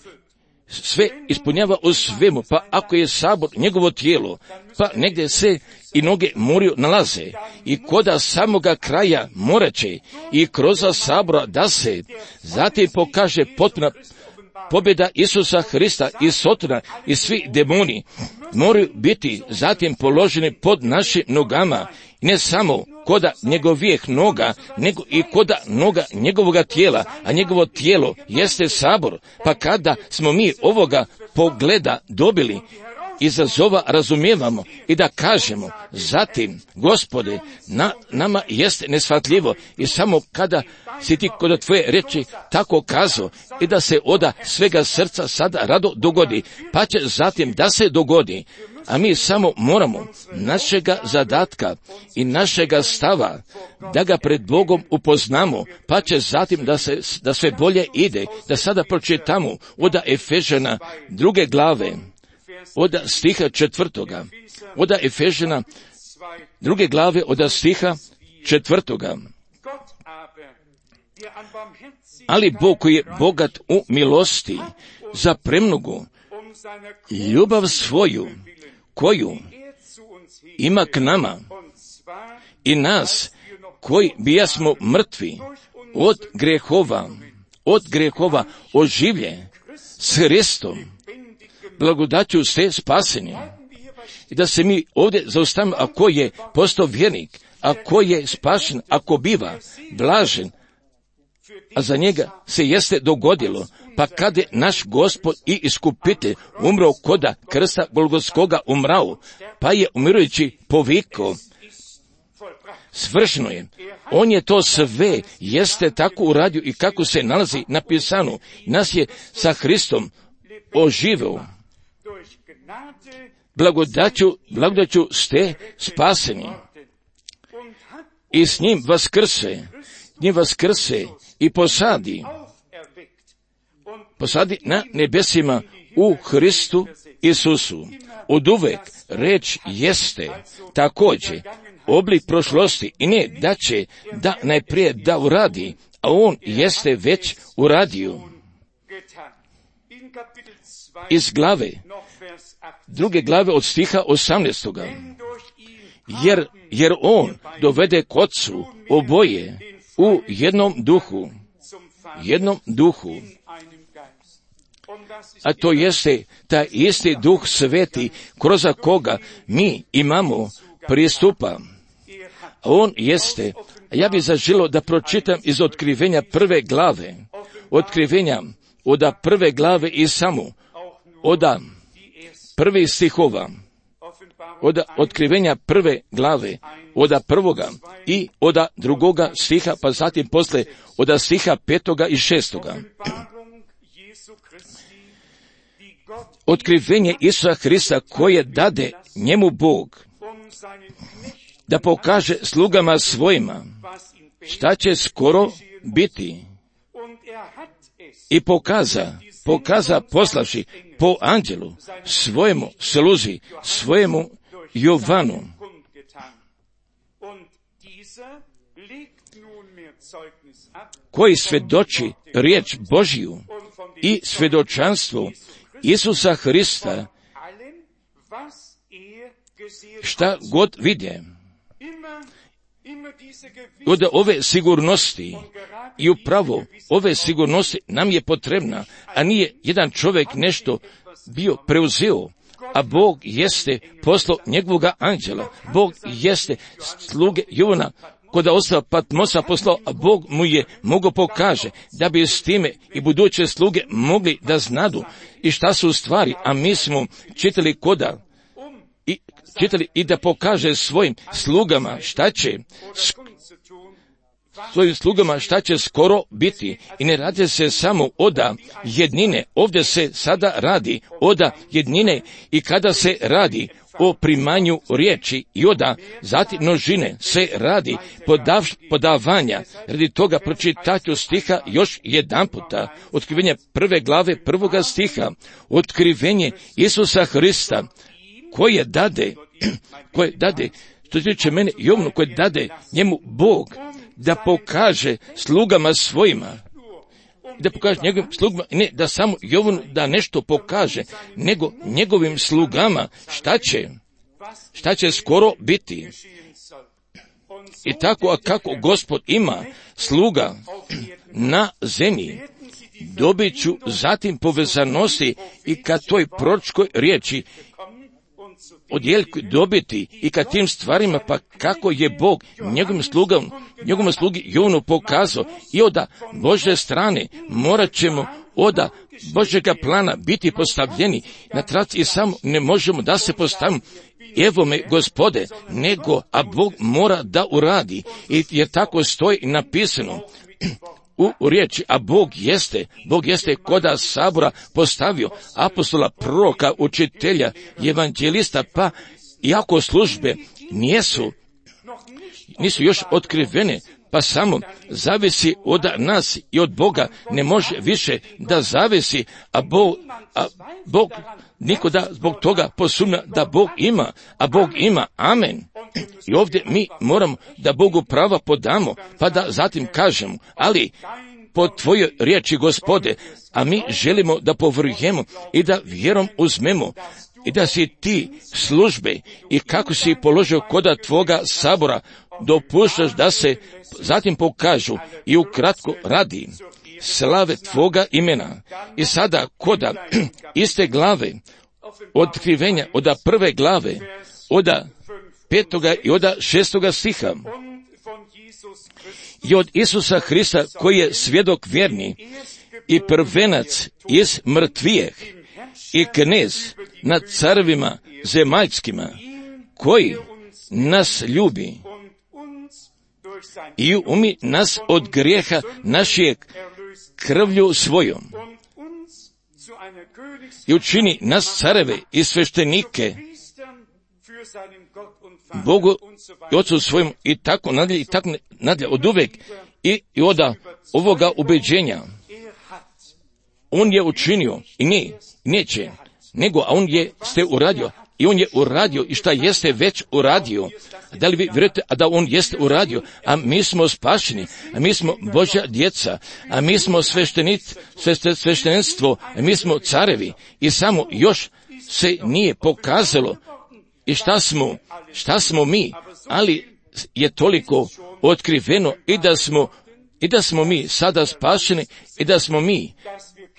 sve ispunjava u svemu. Pa ako je sabor njegovo tijelo, pa negdje se i noge moraju nalaze, i koda samoga kraja moraće i kroz sabora da se zatim pokaže potpuna pobjeda Isusa Hrista i Sotona i svi demoni moraju biti zatim položeni pod našim nogama, i ne samo koda njegovih noga, nego i koda noga njegovoga tijela, a njegovo tijelo jeste sabor. Pa kada smo mi ovoga pogleda dobili, izazova razumijevamo i da kažemo zatim, Gospode, na, nama jeste nesvatljivo, i samo kada si ti kod tvoje reči tako kazao, i da se oda svega srca sada rado dogodi, pa će zatim da se dogodi. A mi samo moramo našega zadatka i našega stava da ga pred Bogom upoznamo, pa će zatim da se da sve bolje ide. Da sada pročitamo od Efežana druge glave, od stiha četvrtoga, od Efežana druge glave, od stiha četvrtoga. Ali Bog koji je bogat u milosti za premnogu ljubav svoju koju ima k nama i nas koji bijasmo mrtvi od grehova, od grehova oživlje s Hristom, blagodaću ste spaseni. I da se mi ovdje zaustavimo, ako je postao vjernik, ako je spašen, ako biva blažen, a za njega se jeste dogodilo, pa kad je naš Gospod i iskupitelj umro koda krsta Golgotskoga umrao, pa je umirujući povikao, svršeno je. On je to sve, jeste tako uradio i kako se nalazi napisano. Nas je sa Hristom oživeo. Blagodaću, blagodaću ste spaseni. I s njim vaskrse, njim vaskrse i posadi. Posadi na nebesima u Hristu Isusu. Od uvek reč jeste također oblik prošlosti i ne da će da najprije da uradi, a on jeste već uradio. Iz glave, druge glave od stiha osamnaestoga. Jer, jer on dovede k Otcu oboje u jednom duhu, jednom duhu. A to jeste taj isti duh sveti kroz koga mi imamo pristupa. On jeste, ja bih zaželio da pročitam iz otkrivenja prve glave, otkrivenja od prve glave i samo, od prvih stihova, od otkrivenja prve glave, od prvoga i od drugoga stiha, pa zatim posle od stiha petoga i šestoga. Otkrivenje Isusa Hrista koje dade njemu Bog, da pokaže slugama svojima šta će skoro biti. I pokaza, pokaza poslavši po anđelu svojemu sluzi, svojemu Jovanu. Koji svedoči riječ Božiju i svedočanstvo Isusa Hrista, šta god vidje. Od ove sigurnosti i upravo ove sigurnosti nam je potrebna, a nije jedan čovjek nešto bio preuzeo, a Bog jeste poslao njegovoga anđela. Bog jeste sluge Jovana koda ostao Patmosa poslao, a Bog mu je mogo pokaže da bi s time i buduće sluge mogli da znadu i šta su stvari, a mi smo čitali koda i čitali i da pokaže svojim slugama šta će svojim slugama šta će skoro biti. I ne radi se samo oda jednine, ovdje se sada radi oda jednine i kada se radi o primanju riječi i oda zatim množine se radi podav, podavanja. Radi toga pročitaću stiha još jedan puta. Otkrivenje prve glave prvoga stiha. Otkrivenje Isusa Hrista koje dade, koje dade, što tiče mene Jovnu, koje dade njemu Bog da pokaže slugama svojima, da pokaže njegovim slugama, ne da samo Jovnu da nešto pokaže, nego njegovim slugama šta će, šta će skoro biti. I tako, a kako Gospod ima sluga na zemlji, dobit ću zatim povezanosti i kad toj proročkoj riječi odjeljku dobiti i kad tim stvarima, pa kako je Bog njegovim slugom, njegovom slugi Jovnu pokazao i od Božje strane morat ćemo od Božjega plana biti postavljeni na trac i samo ne možemo da se postavimo evo me Gospode, nego, a Bog mora da uradi i jer tako stoji napisano u riječi, a Bog jeste, Bog jeste koda sabora postavio apostola, proroka, učitelja, evanđelista, pa iako službe nisu, nisu još otkrivene, pa samo zavisi od nas i od Boga, ne može više da zavisi, a Bog, a Bog niko da zbog toga posumnja da Bog ima, a Bog ima, amen. I ovdje mi moramo da Bogu prava podamo, pa da zatim kažemo, ali po tvojoj riječi, Gospode, a mi želimo da povrujemo i da vjerom uzmemo i da si ti službe i kako si položio koda tvoga sabora, dopuštaš da se zatim pokažu i ukratko radi slave tvoga imena. I sada koda iste glave, otkrivenja, oda prve glave, oda petoga i oda šestoga stiha, i od Isusa Hrista koji je svjedok vjerni i prvenac iz mrtvijeh i knez nad carevima zemaljskima, koji nas ljubi i umi nas od grijeha našeg krvlju svojom i učini nas careve i sveštenike Bogu i Otcu svojom i tako nadalje i tako nadalje od uvek i, i oda ovoga ubeđenja. On je učinio i ne, neće, nego a on je ste uradio i on je uradio i šta jeste već uradio. Da li vi vjerujete a da on jeste uradio, a mi smo spašeni, a mi smo Božja djeca, a mi smo sveštenic, sveštenstvo, a mi smo carevi i samo još se nije pokazalo i šta smo, šta smo mi, ali je toliko otkriveno i da smo, i da smo mi sada spašeni i da smo mi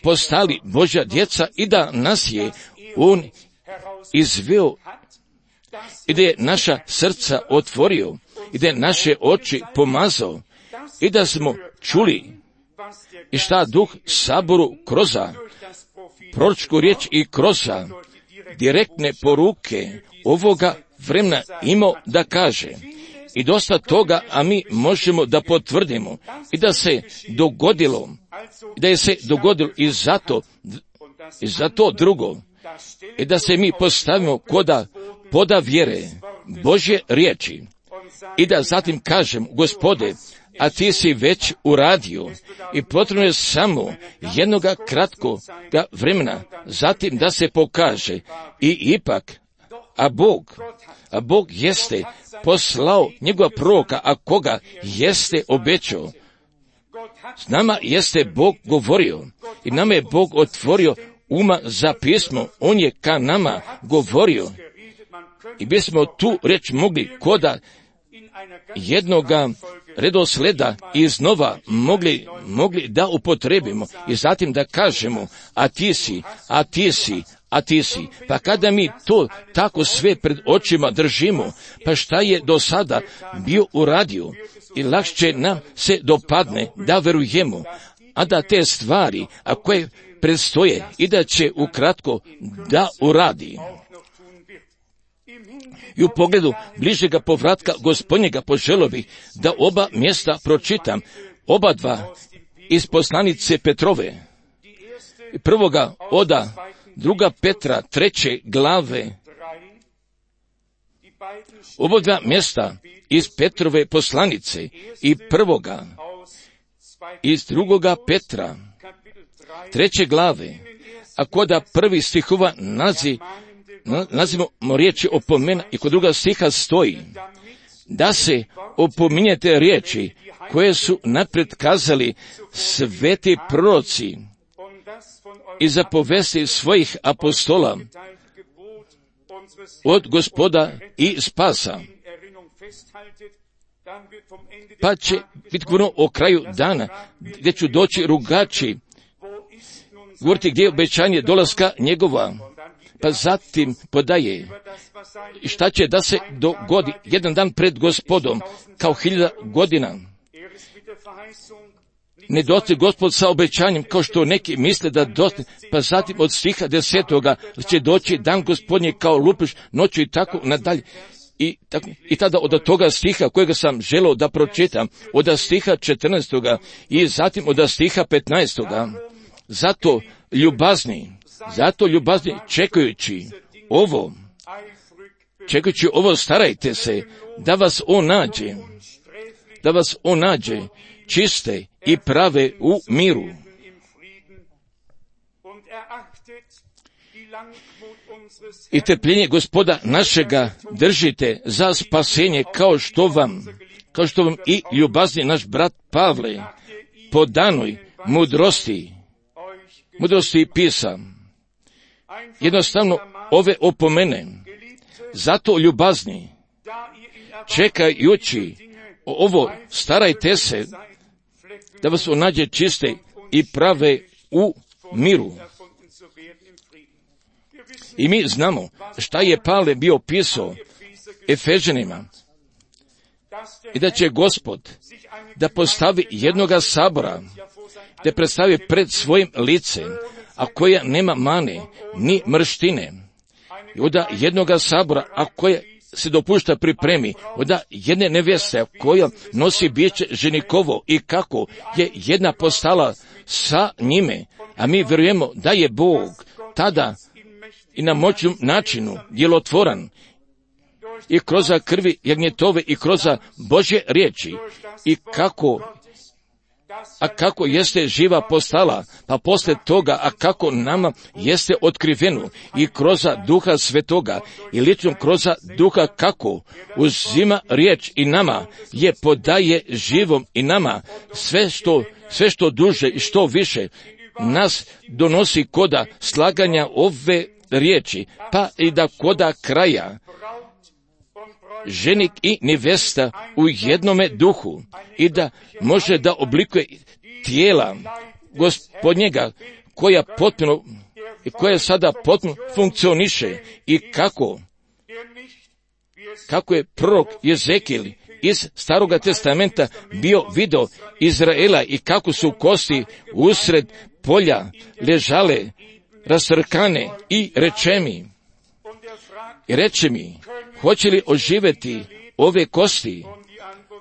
postali Božja djeca i da nas je on izveo i da je naša srca otvorio i da je naše oči pomazao i da smo čuli i šta duh saboru kroza proročku riječ i kroza direktne poruke ovoga vremena imao da kaže. I dosta toga, a mi možemo da potvrdimo i da se dogodilo, i da je se dogodilo i zato, i zato drugo, i da se mi postavimo koda poda vjere Božje riječi i da zatim kažem, Gospode, a ti si već uradio i potrebno je samo jednoga kratkoga vremena, zatim da se pokaže i ipak, a Bog, a Bog jeste poslao njegova proroka, a koga jeste obećao. S nama jeste Bog govorio i nama je Bog otvorio uma za pismo, on je ka nama govorio i bismo tu reč mogli koda jednoga redosleda iznova mogli, mogli da upotrebimo i zatim da kažemo, a ti si, a ti si, a ti si. Pa kada mi to tako sve pred očima držimo, pa šta je do sada bio uradio i lakše nam se dopadne da verujemo, a da te stvari, a koje predstoje i da će ukratko da uradi. I u pogledu bližega povratka Gospodnjega poželio bih da oba mjesta pročitam, oba dva iz poslanice Petrove. Prvoga oda druga Petra treće glave. Oba dva mjesta iz Petrove poslanice i prvoga iz drugoga Petra treće glave, a koda prvi stihova nazi nazivamo riječi opomena i kod druga stiha stoji da se opominjete riječi koje su napred kazali sveti proroci i zapovesti svojih apostola od Gospoda i spasa. Pa će biti govoreno o kraju dana gdje ću doći rugači, govoriti gdje je obećanje dolaska njegova. Pa zatim podaje šta će da se dogodi jedan dan pred Gospodom kao hiljada godina. Ne doći Gospod sa obećanjem kao što neki misle da doći, pa zatim od stiha desetoga će doći dan Gospodnje kao lupiš noću i tako nadalje. I, tako, i tada od toga stiha kojega sam želeo da pročitam, od stiha četrnaestoga i zatim od stiha petnaestoga. Zato ljubazni, zato ljubazni čekajući ovo, čekajući ovo starajte se da vas on nađe, da vas on nađe čiste i prave u miru. I trpljenje Gospoda našega držite za spasenje, kao što vam, kao što vam i ljubazni naš brat Pavle po danoj mudrosti, mudrosti pisa. Jednostavno ove opomene, zato ljubazni, čekajući ovo, starajte se da vas on nađe čiste i prave u miru. I mi znamo šta je Pavle bio pisao Efežanima, i da će Gospod da postavi jednoga sabora, da predstavi pred svojim licem, a koja nema mane, ni mrštine, i onda jednoga sabora, a koja se dopušta pripremi, onda jedne nevjeste koja nosi biće ženikovo, i kako je jedna postala sa njime, a mi vjerujemo da je Bog tada i na moćnom načinu djelotvoran, i kroz krvi jagnjetove i kroz Božje riječi, i kako, a kako jeste živa postala, pa posle toga, a kako nama jeste otkriveno i kroz Duha Svetoga, i lično kroz Duha kako uzima riječ i nama je podaje živom, i nama sve što, sve što duže i što više nas donosi koda slaganja ove riječi, pa i da koda kraja ženik i nevesta u jednome duhu, i da može da oblikuje tijela Gospodnjega, koja potpuno, koja sada potpuno funkcioniše, i kako, kako je prorok Jezekijel iz Staroga testamenta bio video Izraela, i kako su kosti usred polja ležale rasrkane, i reče mi, i reče mi, hoće li oživjeti ove kosti?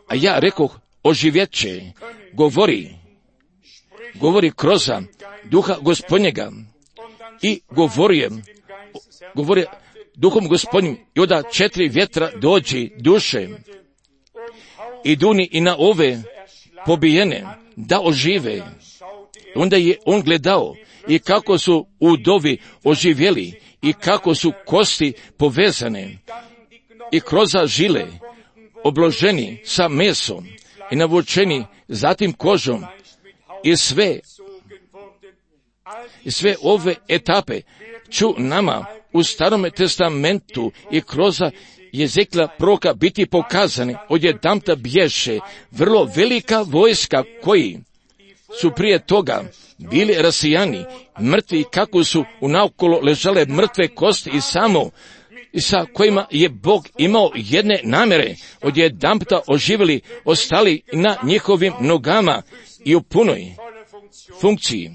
A ja rekoh, oživjet će, govori, govori kroz Duha Gospodnjega, i govorujem, govori Duhom Gospodnjim, i onda četiri vjetra dođi duše, i duni i na ove pobijene, da ožive. Onda je on gledao, i kako su udovi oživjeli, i kako su kosti povezane, i kroz žile obloženi sa mesom, i navučeni zatim kožom, i sve, i sve ove etape ću nama u Starome testamentu i kroz Jezekla proroka biti pokazane. Odjedanput bješe vrlo velika vojska koji su prije toga bili rasijani, mrtvi, kako su unaokolo ležale mrtve kosti, i samo i sa kojima je Bog imao jedne namjere, odjedanputa oživjeli, ostali na njihovim nogama i u punoj funkciji.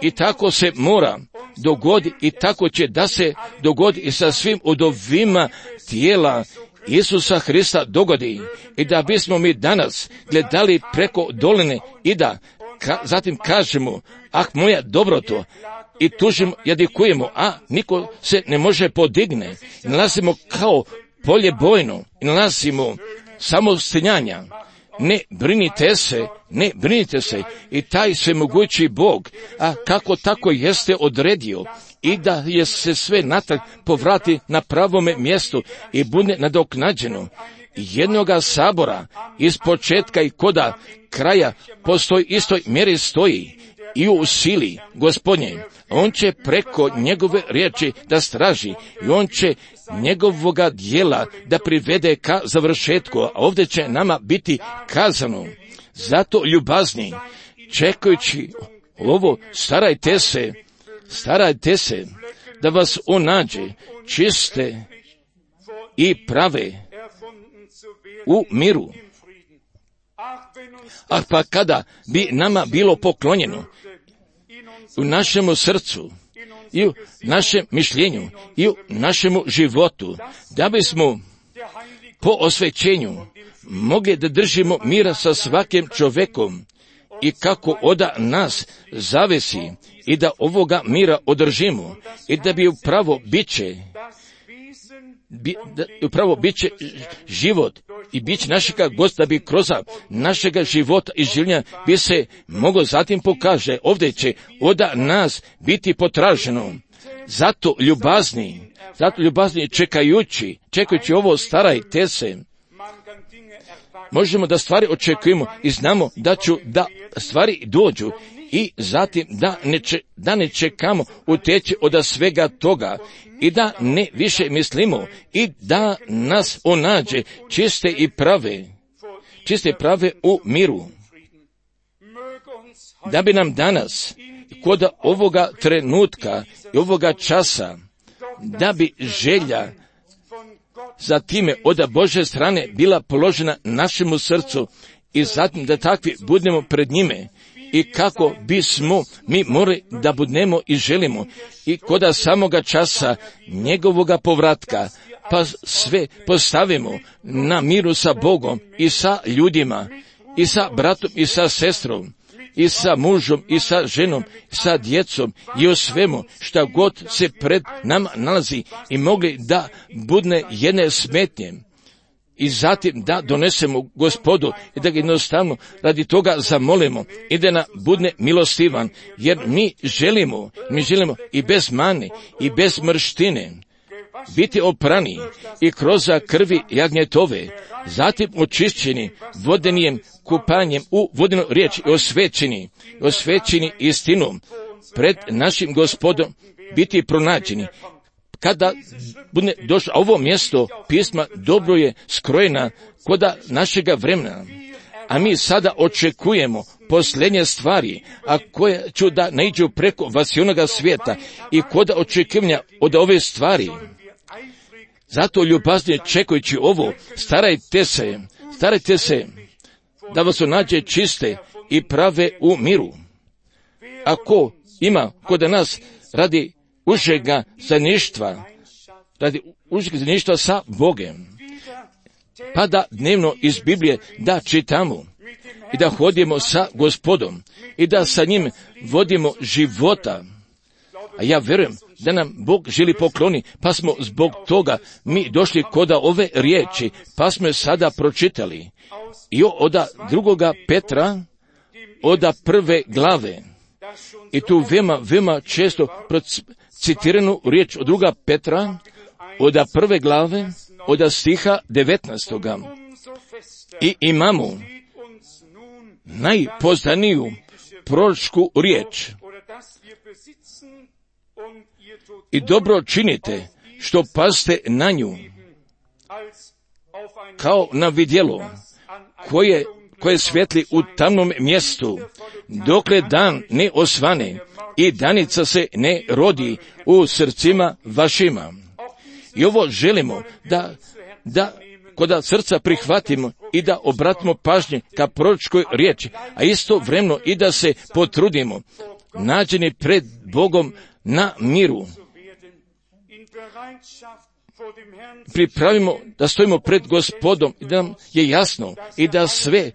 I tako se mora dogodi, i tako će da se dogodi i sa svim udovima tijela Isusa Hrista dogodi, i da bismo mi danas gledali preko doline, i da ka, zatim kažemo, ah, moja dobroto, i tužimo, jadikujemo, a niko se ne može podigne. I nalazimo kao polje bojno, i nalazimo samo stenjanja. Ne brinite se, ne brinite se, i taj svemogući Bog, a kako tako jeste odredio, i da je se sve natrag povrati na pravome mjestu i bude nadoknađeno. Jednoga sabora iz početka i koda kraja postoji istoj mjeri stoji, i u sili Gospodnje. On će preko njegove riječi da straži, i on će njegovoga dijela da privede ka završetku, a ovdje će nama biti kazano. Zato ljubazni, čekajući ovo, starajte se, starajte se da vas on nađe čiste i prave u miru. A pa kada bi nama bilo poklonjeno u našemu srcu, i u našem mišljenju, i u našemu životu, da bismo po osvećenju mogli da držimo mira sa svakim čovjekom, i kako oda nas zavisi, i da ovoga mira održimo, i da bi upravo biće, bi, da, upravo bit će život i bit će našega Gospoda, bi kroz našega života i življenja bi se moglo zatim pokaže, ovdje će od nas biti potraženo. Zato ljubazni, zato ljubazni čekajući, čekajući ovo starajte se, možemo da stvari očekujemo i znamo da ću da stvari dođu i zatim da ne, če, da ne čekamo uteći od svega toga i da ne više mislimo i da nas onađe čiste i prave, čiste i prave u miru. Da bi nam danas kod ovoga trenutka i ovoga časa, da bi želja za time od Božje strane bila položena našemu srcu i zatim da takvi budemo pred njime i kako bismo mi morali da budemo i želimo i kod samoga časa njegovoga povratka, pa sve postavimo na miru sa Bogom i sa ljudima i sa bratom i sa sestrom i sa mužom i sa ženom i sa djecom i o svemu šta god se pred nama nalazi i mogli da budne jedne smetnje i zatim da donesemo Gospodu i da ga jednostavno radi toga zamolimo i da nam budne milostivan, jer mi želimo, mi želimo i bez mane i bez mrštine biti oprani i kroz krvi jagnjetove, zatim očišćeni vodenijem kupanjem u vodenu riječ i osvećeni, osvećeni istinom pred našim Gospodom biti pronađeni. Kada bude došlo ovo mjesto pisma, dobro je skrojena koda našega vremena, a mi sada očekujemo posljednje stvari, a koje ću da naiđu preko vasionoga svijeta i koda očekivanja od ove stvari. Zato ljubaznije čekajući ovo, starajte se, starajte se da vas nađe čiste i prave u miru. Ako ima kod nas radi užega zajedništva, radi užega zajedništva sa Bogem, pa da dnevno iz Biblije da čitamo i da hodimo sa Gospodom i da sa njim vodimo života. A ja vjerujem da nam Bog želi pokloni, pa smo zbog toga mi došli koda ove riječi, pa smo je sada pročitali. I od drugoga Petra, od prve glave. I tu veoma, veoma često citiranu riječ od druga Petra, od prve glave, od stiha devetnaestoga. I imamo najpoznaniju proročku riječ. I dobro činite što paste na nju, kao na vidjelo, koje, koje svijetli u tamnom mjestu, dokle dan ne osvane i danica se ne rodi u srcima vašima. I ovo želimo da, da kod srca prihvatimo i da obratimo pažnje ka proročkoj riječi, a isto vremeno i da se potrudimo, nađeni pred Bogom na miru. Pripravimo da stojimo pred Gospodom i da nam je jasno i da sve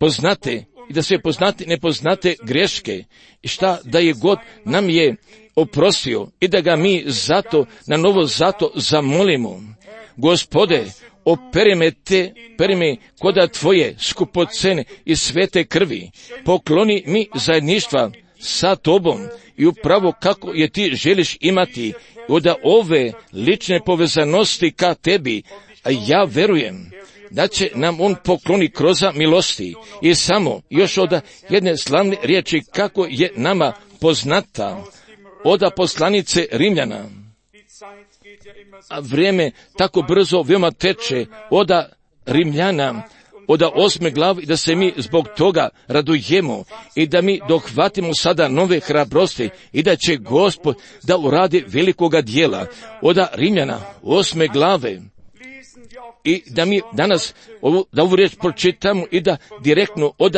poznate i da sve poznate nepoznate greške i šta da je God nam je oprostio i da ga mi zato na novo zato zamolimo. Gospode, operi me te, operi me koda tvoje skupocene i svete krvi, pokloni mi zajedništva sa tobom i upravo kako je ti želiš imati od ove lične povezanosti ka tebi, a ja verujem da će nam on pokloni kroz milosti i samo još od jedne slavne riječi kako je nama poznata od poslanice Rimljana. A vrijeme tako brzo veoma teče od Rimljana, od osme glavi, da se mi zbog toga radujemo i da mi dohvatimo sada nove hrabrosti i da će Gospod da uradi velikoga dijela od Rimljana osme glave i da mi danas ovu, da ovu riječ pročitamo i da direktno od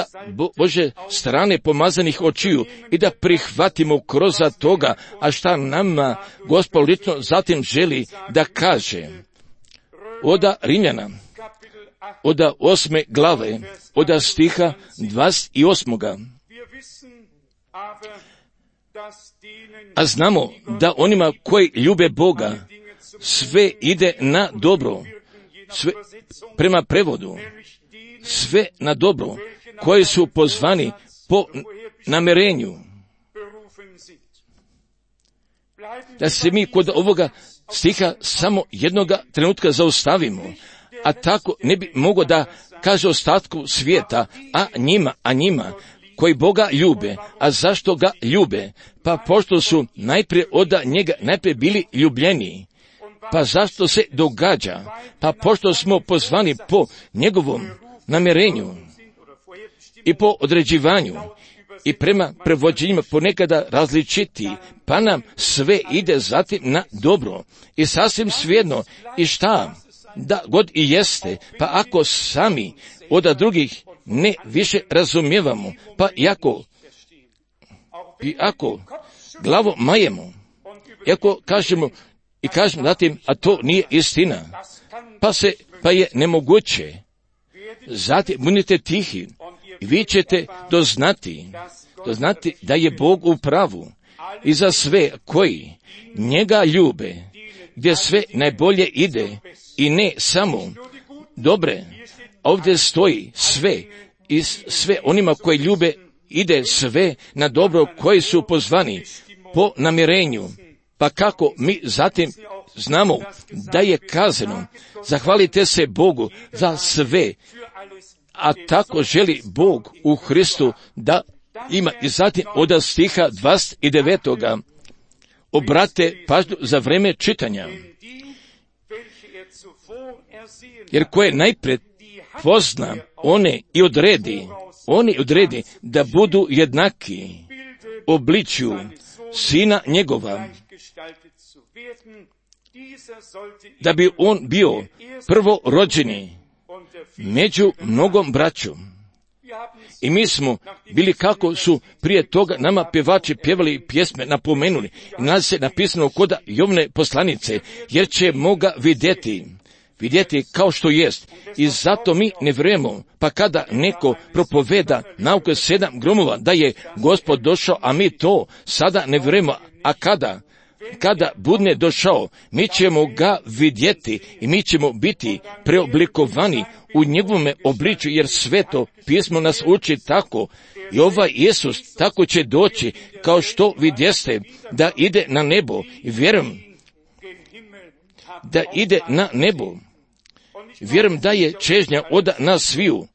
Bože strane pomazanih očiju i da prihvatimo kroz toga, a šta nama Gospod lično zatim želi da kaže. Od Rimljana od osme glave, od stiha dvadeset osmoga. A znamo da onima koji ljube Boga, sve ide na dobro, sve, prema prevodu, sve na dobro, koji su pozvani po namjerenju. Da se mi kod ovoga stiha samo jednoga trenutka zaustavimo, a tako ne bi mogo da kaže ostatku svijeta, a njima, a njima, koji Boga ljube. A zašto ga ljube? Pa pošto su najprije od njega najprije bili ljubljeni. Pa zašto se događa? Pa pošto smo pozvani po njegovom namjerenju i po određivanju i prema prevođenjima ponekada različiti, pa nam sve ide zatim na dobro. I sasvim svejedno, i šta da god i jeste, pa ako sami od drugih ne više razumijevamo, pa i ako, i ako glavo majemo, i ako kažemo i kažemo zatim, a to nije istina, pa se, pa je nemoguće, zatim budite tihi i vi ćete doznati, doznati da je Bog u pravu i za sve koji njega ljube, gdje sve najbolje ide i ne samo dobre. Ovdje stoji sve i sve onima koji ljube ide sve na dobro, koji su pozvani po namjerenju. Pa kako mi zatim znamo da je kazano, zahvalite se Bogu za sve, a tako želi Bog u Hristu da ima. I zatim od stiha dvadeset devet. Obrate pažnju za vreme čitanja. Jer koje najpred pozna one i odredi, oni odredi da budu jednaki obličju sina njegova, da bi on bio prvorođeni među mnogom braćom. I mi smo bili kako su prije toga nama pjevači pjevali pjesme, napomenuli. I nas se napisano kod Jovne poslanice, jer ćemo ga vidjeti, vidjeti kao što jest. I zato mi ne vjerujemo, pa kada neko propoveda nauke sedam gromova da je Gospod došao, a mi to sada ne vjerujemo, a kada? Kada budne došao, mi ćemo ga vidjeti i mi ćemo biti preoblikovani u njegovome obličju, jer sveto pismo nas uči tako. I ovaj Isus tako će doći, kao što vidjeste, da ide na nebo. I vjerujem da ide na nebo. Vjerujem da je čežnja od nas sviju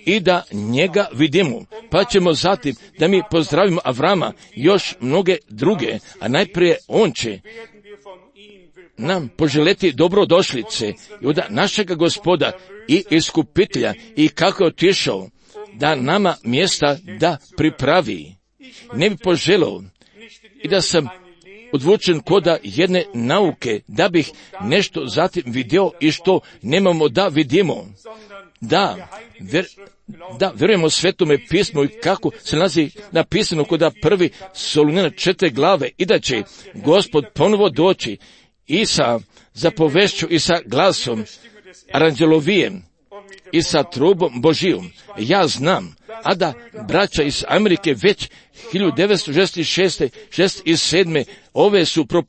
i da njega vidimo. Pa ćemo zatim da mi pozdravimo Avrama, još mnoge druge, a najprije on će nam poželjeti dobrodošlice i od našega Gospoda i iskupitelja, i kako je otišao da nama mjesta da pripravi. Ne bi poželio i da sam odvučen koda jedne nauke, da bih nešto zatim vidio i što nemamo da vidimo. Da, ver, da vjerujemo svetome pismu i kako se nalazi napisano koda prvi Solunjana četiri glave, i da će Gospod ponovo doći i sa zapovešću i sa glasom aranđelovijem i sa trubom Božijom. Ja znam, a da braća iz Amerike već hiljadu devetsto šezdeset šeste, šezdeset sedme ove su pro,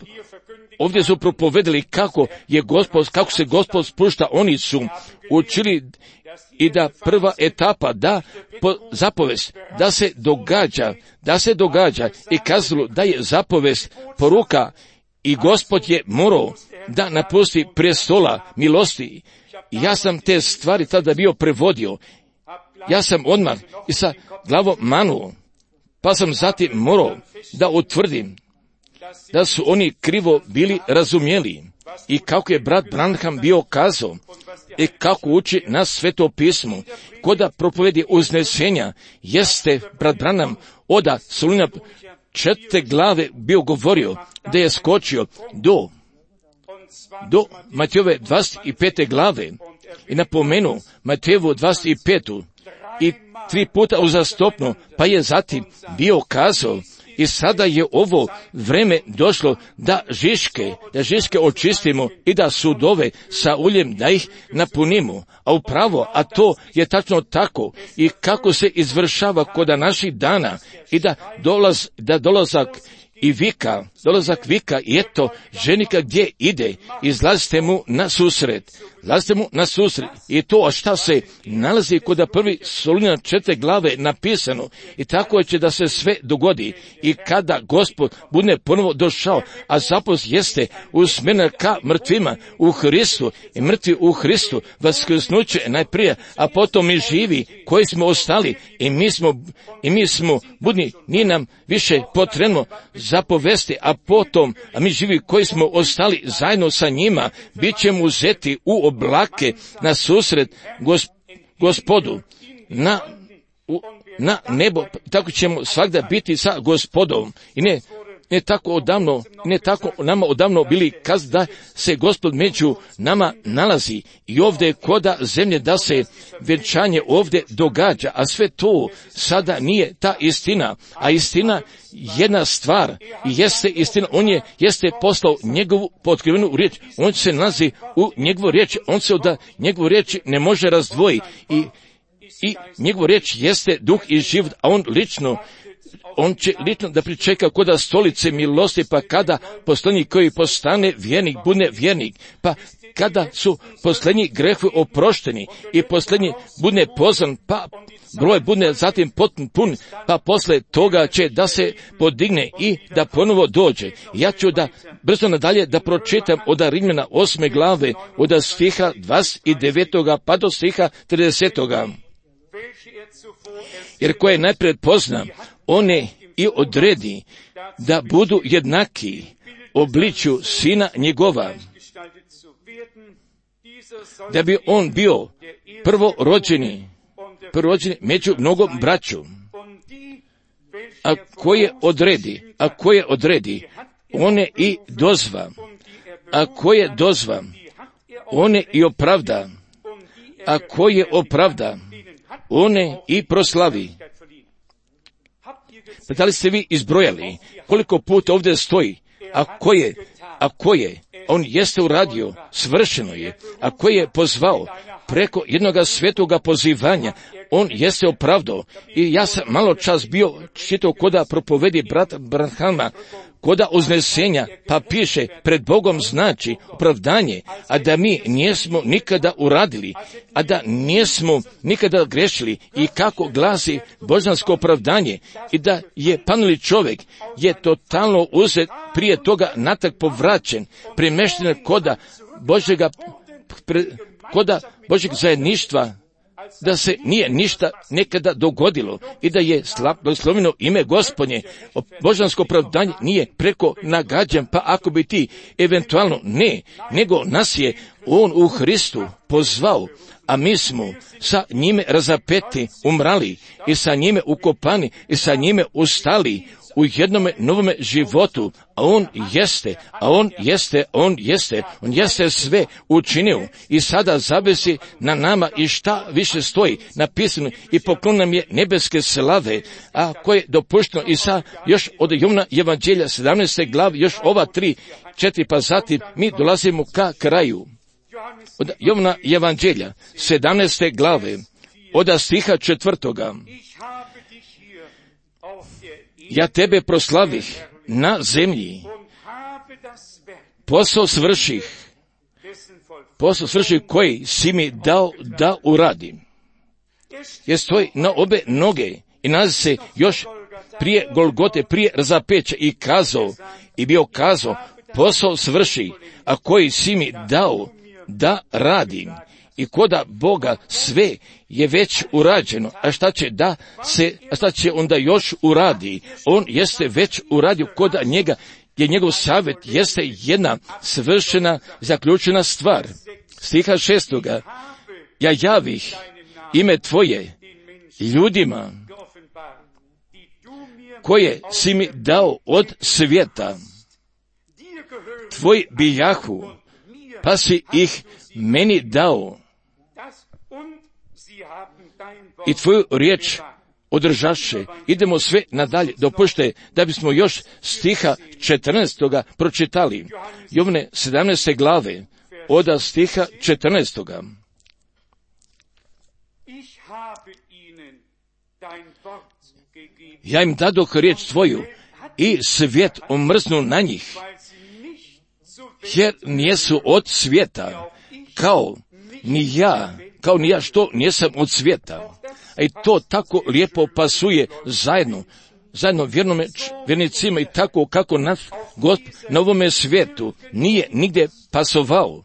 ovdje su propovedali kako je Gospod, kako se Gospod spušta. Oni su učili i da prva etapa, da po, zapovest, da se događa, da se događa i kazalo da je zapovest poruka, i Gospod je morao da napusti prestola milosti. I ja sam te stvari tada bio prevodio. Ja sam odmah i sa glavom manuo, pa sam zatim morao da utvrdim da su oni krivo bili razumjeli i kako je brat Branham bio kazao i kako uči nas sveto pismo. Koda propovedi uznesenja jeste brat Branham oda Solunjana četiri glave bio govorio da je skočio do do Matejove dvadeset pete glave i napomenuo Matejevu dvadeset petu i tri puta uzastopno, pa je zatim bio kazao, i sada je ovo vreme došlo da žiške, da žiške očistimo i da sudove sa uljem da ih napunimo. A upravo, a to je tačno tako i kako se izvršava kod naših dana, i da dolaz, da dolazak i vika dolazak vika i eto ženika gdje ide, izlazite mu na susret, izlazite mu na susret i to, a šta se nalazi kod prvi Solunjana četiri glave napisano i tako će da se sve dogodi i kada Gospod bude ponovo došao, a zapost jeste usmjerena ka mrtvima u Hristu i mrtvi u Hristu, vaskrsnuće najprije, a potom i živi koji smo ostali i mi smo, i mi smo budni, nije nam više potrebno zapovesti, a potom, a mi živi koji smo ostali zajedno sa njima, bit ćemo uzeti u oblake na susret gosp, Gospodu, na, u, na nebo, tako ćemo svakda biti sa Gospodom. I ne, ne tako odavno, ne tako nama odavno bili kaz da se Gospod među nama nalazi i ovdje koda zemlje da se vjenčanje ovdje događa, a sve to sada nije ta istina, a istina jedna stvar i jeste istina, on je jeste poslao njegovu potkrivenu riječ, on se nalazi u njegovu riječ, on se od njegovu riječ ne može razdvojiti i, i njegovu riječ jeste duh i život, a on lično on će lično da pričeka koda stolice milosti, pa kada posljednji koji postane vjernik, bude vjernik, pa kada su posljednji grehovi oprošteni i posljednji bude pozvan, pa broj bude zatim potpun pun, pa posle toga će da se podigne i da ponovo dođe. Ja ću da brzo nadalje da pročitam od Rimljana osme glave, od stiha dvadeset devetog pa do stiha tridesetog Jer koje najpred pozna, one i odredi da budu jednaki obličju sina njegova, da bi on bio prvorođeni, prvorođeni među mnogom braću. A koje odredi, a koje odredi, one i dozva, a koje dozva, one i opravda, a koje opravda, one i proslavi. Pa da li ste vi izbrojali koliko puta ovdje stoji, a koje, a koje, on jeste uradio, svršeno je, a koje je pozvao preko jednoga svetoga pozivanja, on jeste opravdao. I ja sam malo čas bio čitao koda propovedi brata Branhama, koda uznesenja, pa piše, pred Bogom znači opravdanje, a da mi nismo nikada uradili, a da nismo nikada grešili, i kako glasi božansko opravdanje, i da je panuli čovjek, je totalno uzet, prije toga natak povraćen, premešten koda Božjega, pre, koda Božjeg zajedništva, da se nije ništa nekada dogodilo i da je blagosloveno ime Gospodnje. Božansko opravdanje nije preko nagađan, pa ako bi ti eventualno ne, nego nas je on u Hristu pozvao, a mi smo sa njime razapeti, umrali i sa njime ukopani i sa njime ustali u jednome novome životu, a on jeste, a on jeste, on jeste, on jeste sve učinio i sada zavisi na nama i šta više stoji napisano i poklon nam je nebeske slave, a koje je dopušteno i sa još od Jovana Evanđelja sedamnaeste glavi, još ova tri, četiri, pa zatim mi dolazimo ka kraju. Od Jovana Evanđelja sedamnaeste glave, od stiha četvrtoga. Ja tebe proslavih na zemlji, posao svrših, posao svrših koji si mi dao da uradim. Jer stoji na obe noge i nalazi se još prije Golgote, prije razapeća i kazao, i bio kazao, posao svrši, a koji si mi dao da radim. I koda Boga sve je već urađeno, a šta će da se, a šta će onda još uradi? On jeste već uradio koda njega, je njegov savjet jeste jedna svršena, zaključena stvar. Stiha šestoga. Ja javih ime tvoje ljudima koje si mi dao od svijeta. Tvoj bijahu, pa si ih meni dao. I tvoju riječ održaše. Idemo sve nadalje. Dopušte da bismo još stiha četrnaestoga pročitali. Jovane sedamnaeste glave, od stiha četrnaestoga. Ja im dadoh riječ tvoju i svijet omrznu na njih, jer nijesu od svijeta, kao ni ja, kao ni ja što nisam od svijeta. A i to tako lijepo pasuje zajedno, zajedno vjernome, vjernicima i tako kako nas Gospod na ovome svijetu nije nigdje pasovao.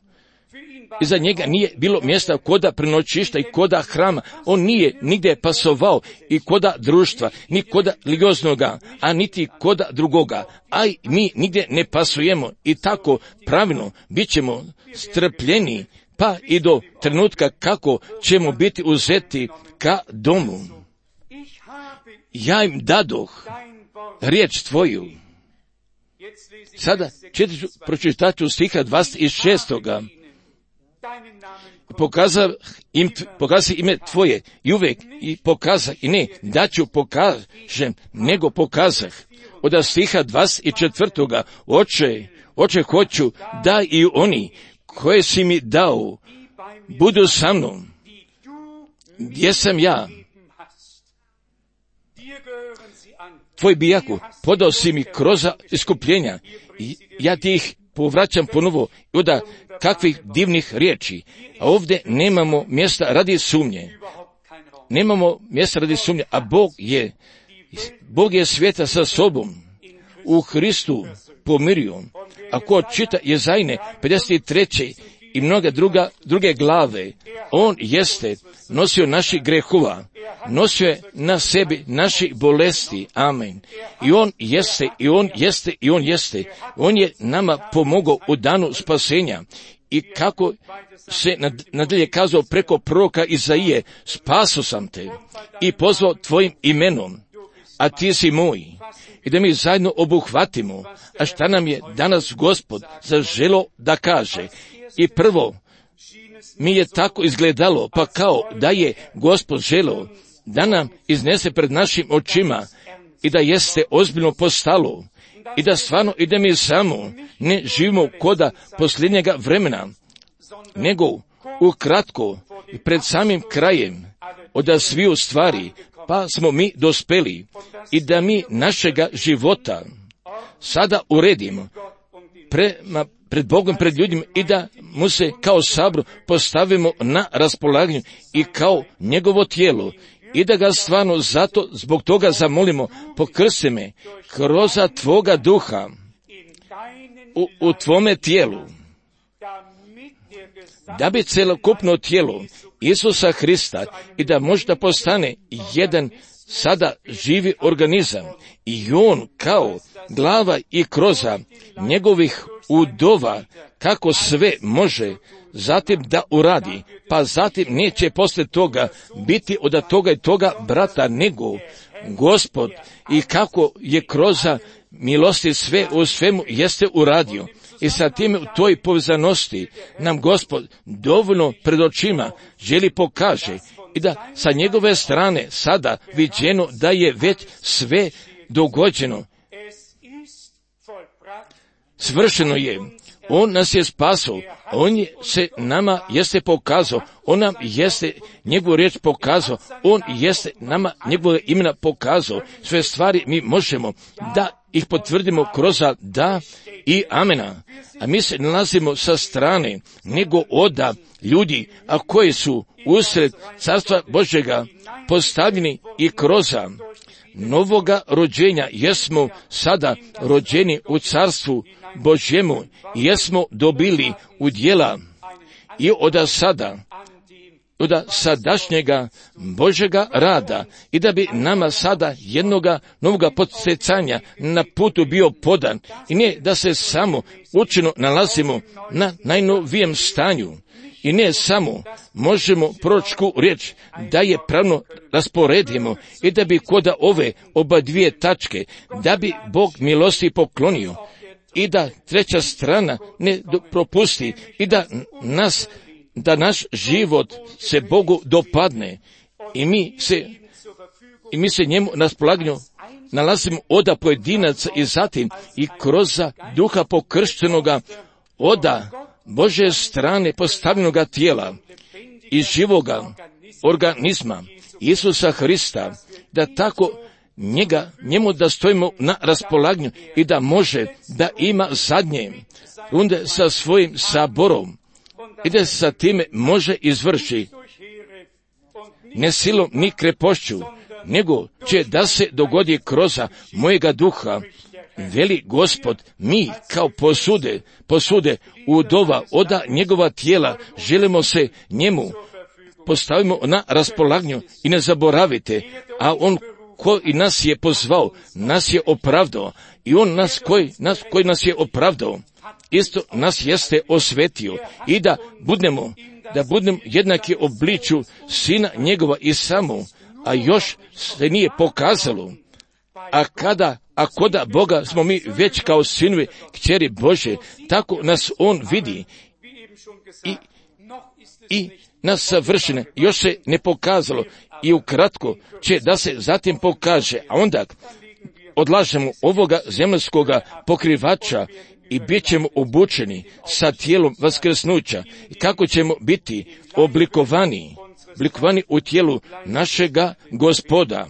I za njega nije bilo mjesta koda prenoćišta i koda hrama. On nije nigdje pasovao i koda društva, ni koda religioznoga, a niti koda drugoga. A i mi nigdje ne pasujemo i tako pravilno bit ćemo strpljeni pa i do trenutka kako ćemo biti uzeti ka domu. Ja im dadoh riječ tvoju. Sada četiri, pročitat ću stiha dvadeset šest. Pokazao im, pokazao ime tvoje i uvijek i pokazah i ne da ću pokažem, nego pokazah. Od stiha dvadeset četiri. Oče, oče hoću da i oni koje si mi dao budu sa mnom, gdje sam ja. Tvoj bijaku podao si mi kroz iskupljenja i ja ti ih povraćam ponovo i od kakvih divnih riječi. A ovdje nemamo mjesta radi sumnje. Nemamo mjesta radi sumnje, a Bog je, Bog je svijeta sa sobom u Hristu pomirio. Ako čita Jezajne pedeset tri. I mnoge druga, druge glave, on jeste nosio naših grehova, nosio je na sebi naših bolesti, amen. I on jeste, i on jeste, i on jeste. On je nama pomogao u danu spasenja. I kako se nadalje kazao preko proroka Izaije, spaso sam te i pozvao tvojim imenom, a ti si moj. I da mi zajedno obuhvatimo, a šta nam je danas Gospod zaželo da kaže. I prvo, mi je tako izgledalo, pa kao da je Gospod želeo da nam iznese pred našim očima i da jeste ozbiljno postalo i da stvarno i da mi samo ne živimo koda posljednjega vremena, nego ukratko i pred samim krajem od sviju stvari, pa smo mi dospeli i da mi našega života sada uredimo prema pred Bogom, pred ljudima i da mu se kao sabor postavimo na raspolaganju i kao njegovo tijelo i da ga stvarno zato zbog toga zamolimo, pokrsti me kroz tvoga duha u, u tvome tijelu, da bi celokupno tijelo Isusa Hrista i da možda postane jedan sada živi organizam i on kao glava i kroza njegovih udova kako sve može zatim da uradi, pa zatim neće posle toga biti od toga i toga brata, nego Gospod i kako je kroz milosti sve u svemu jeste uradio. I sa tim u toj povezanosti nam Gospod dovoljno pred očima želi pokaže i da sa njegove strane sada viđeno da je već sve dogođeno. Svršeno je. On nas je spasao. On je se nama jeste pokazao. On nam jeste njegovu riječ pokazao. On jeste nama njegove imena pokazao. Sve stvari mi možemo da ih potvrdimo kroz da i amena. A mi se nalazimo sa strane nego oda ljudi, a koji su usred carstva Božjega postavljeni i kroz novoga rođenja jesmo sada rođeni u carstvu Božjemu i jesmo dobili udjela i od sada, od sadašnjega Božjega rada i da bi nama sada jednoga novoga podsjecanja na putu bio podan i ne da se samo učeno nalazimo na najnovijem stanju i ne samo možemo proročku riječ da je pravno rasporedimo i da bi koda ove oba dvije tačke, da bi Bog milosti poklonio i da treća strana ne propusti i da nas, da naš život se Bogu dopadne i mi se, i mi se njemu na raspolaganju nalazimo oda pojedinaca i zatim i kroz duha pokrštenoga oda Božje strane postavljenoga tijela i živoga organizma Isusa Hrista, da tako njega, njemu da stojimo na raspolaganju i da može da ima zadnje runde sa svojim saborom i da sa time može izvrši ne silom ni krepošću, nego će da se dogodi kroz mojega duha, veli Gospod, mi kao posude, posude udova oda njegova tijela, želimo se njemu postavimo na raspolaganju i ne zaboravite, a on koji nas je pozvao, nas je opravdao i on nas koji nas, koji nas je opravdao, isto nas jeste osvetio i da budemo, da budemo jednaki obliču sina njegova i samo, a još se nije pokazalo. A kada, a koda Boga smo mi već kao sinovi kćeri Bože, tako nas on vidi i, i nas savršene, još se ne pokazalo i ukratko će da se zatim pokaže, a onda odlažemo ovoga zemljskoga pokrivača i bit ćemo obučeni sa tijelom vaskrsnuća i kako ćemo biti oblikovani, oblikovani u tijelu našega Gospoda.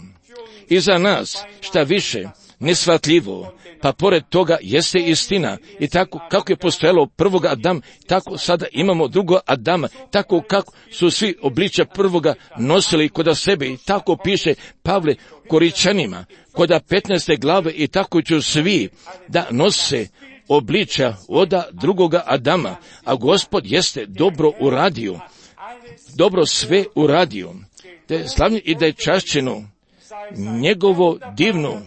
I za nas, šta više, nesvatljivo, pa pored toga jeste istina. I tako kako je postojalo prvoga Adama, tako sada imamo drugo Adama, tako kako su svi obličja prvoga nosili kod sebe i tako piše Pavle Koričanima, kod petnaeste glave i tako će svi da nose obličja oda drugoga Adama, a Gospod jeste dobro uradio, dobro sve uradio, da je slavno i da je čašćeno njegovo divno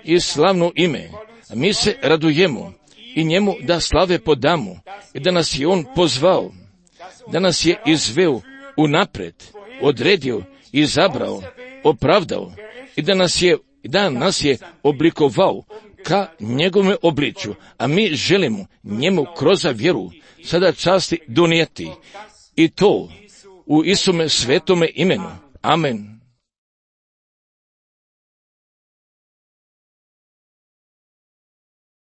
i slavno ime. Mi se radujemo i njemu da slave podamo i da nas je on pozvao, da nas je izveo unapred, odredio, izabrao, opravdao i da nas je, da nas je oblikovao ka njegove obličju, a mi želimo njemu kroz vjeru sada časti donijeti i to u Isume svetome imenu. Amen.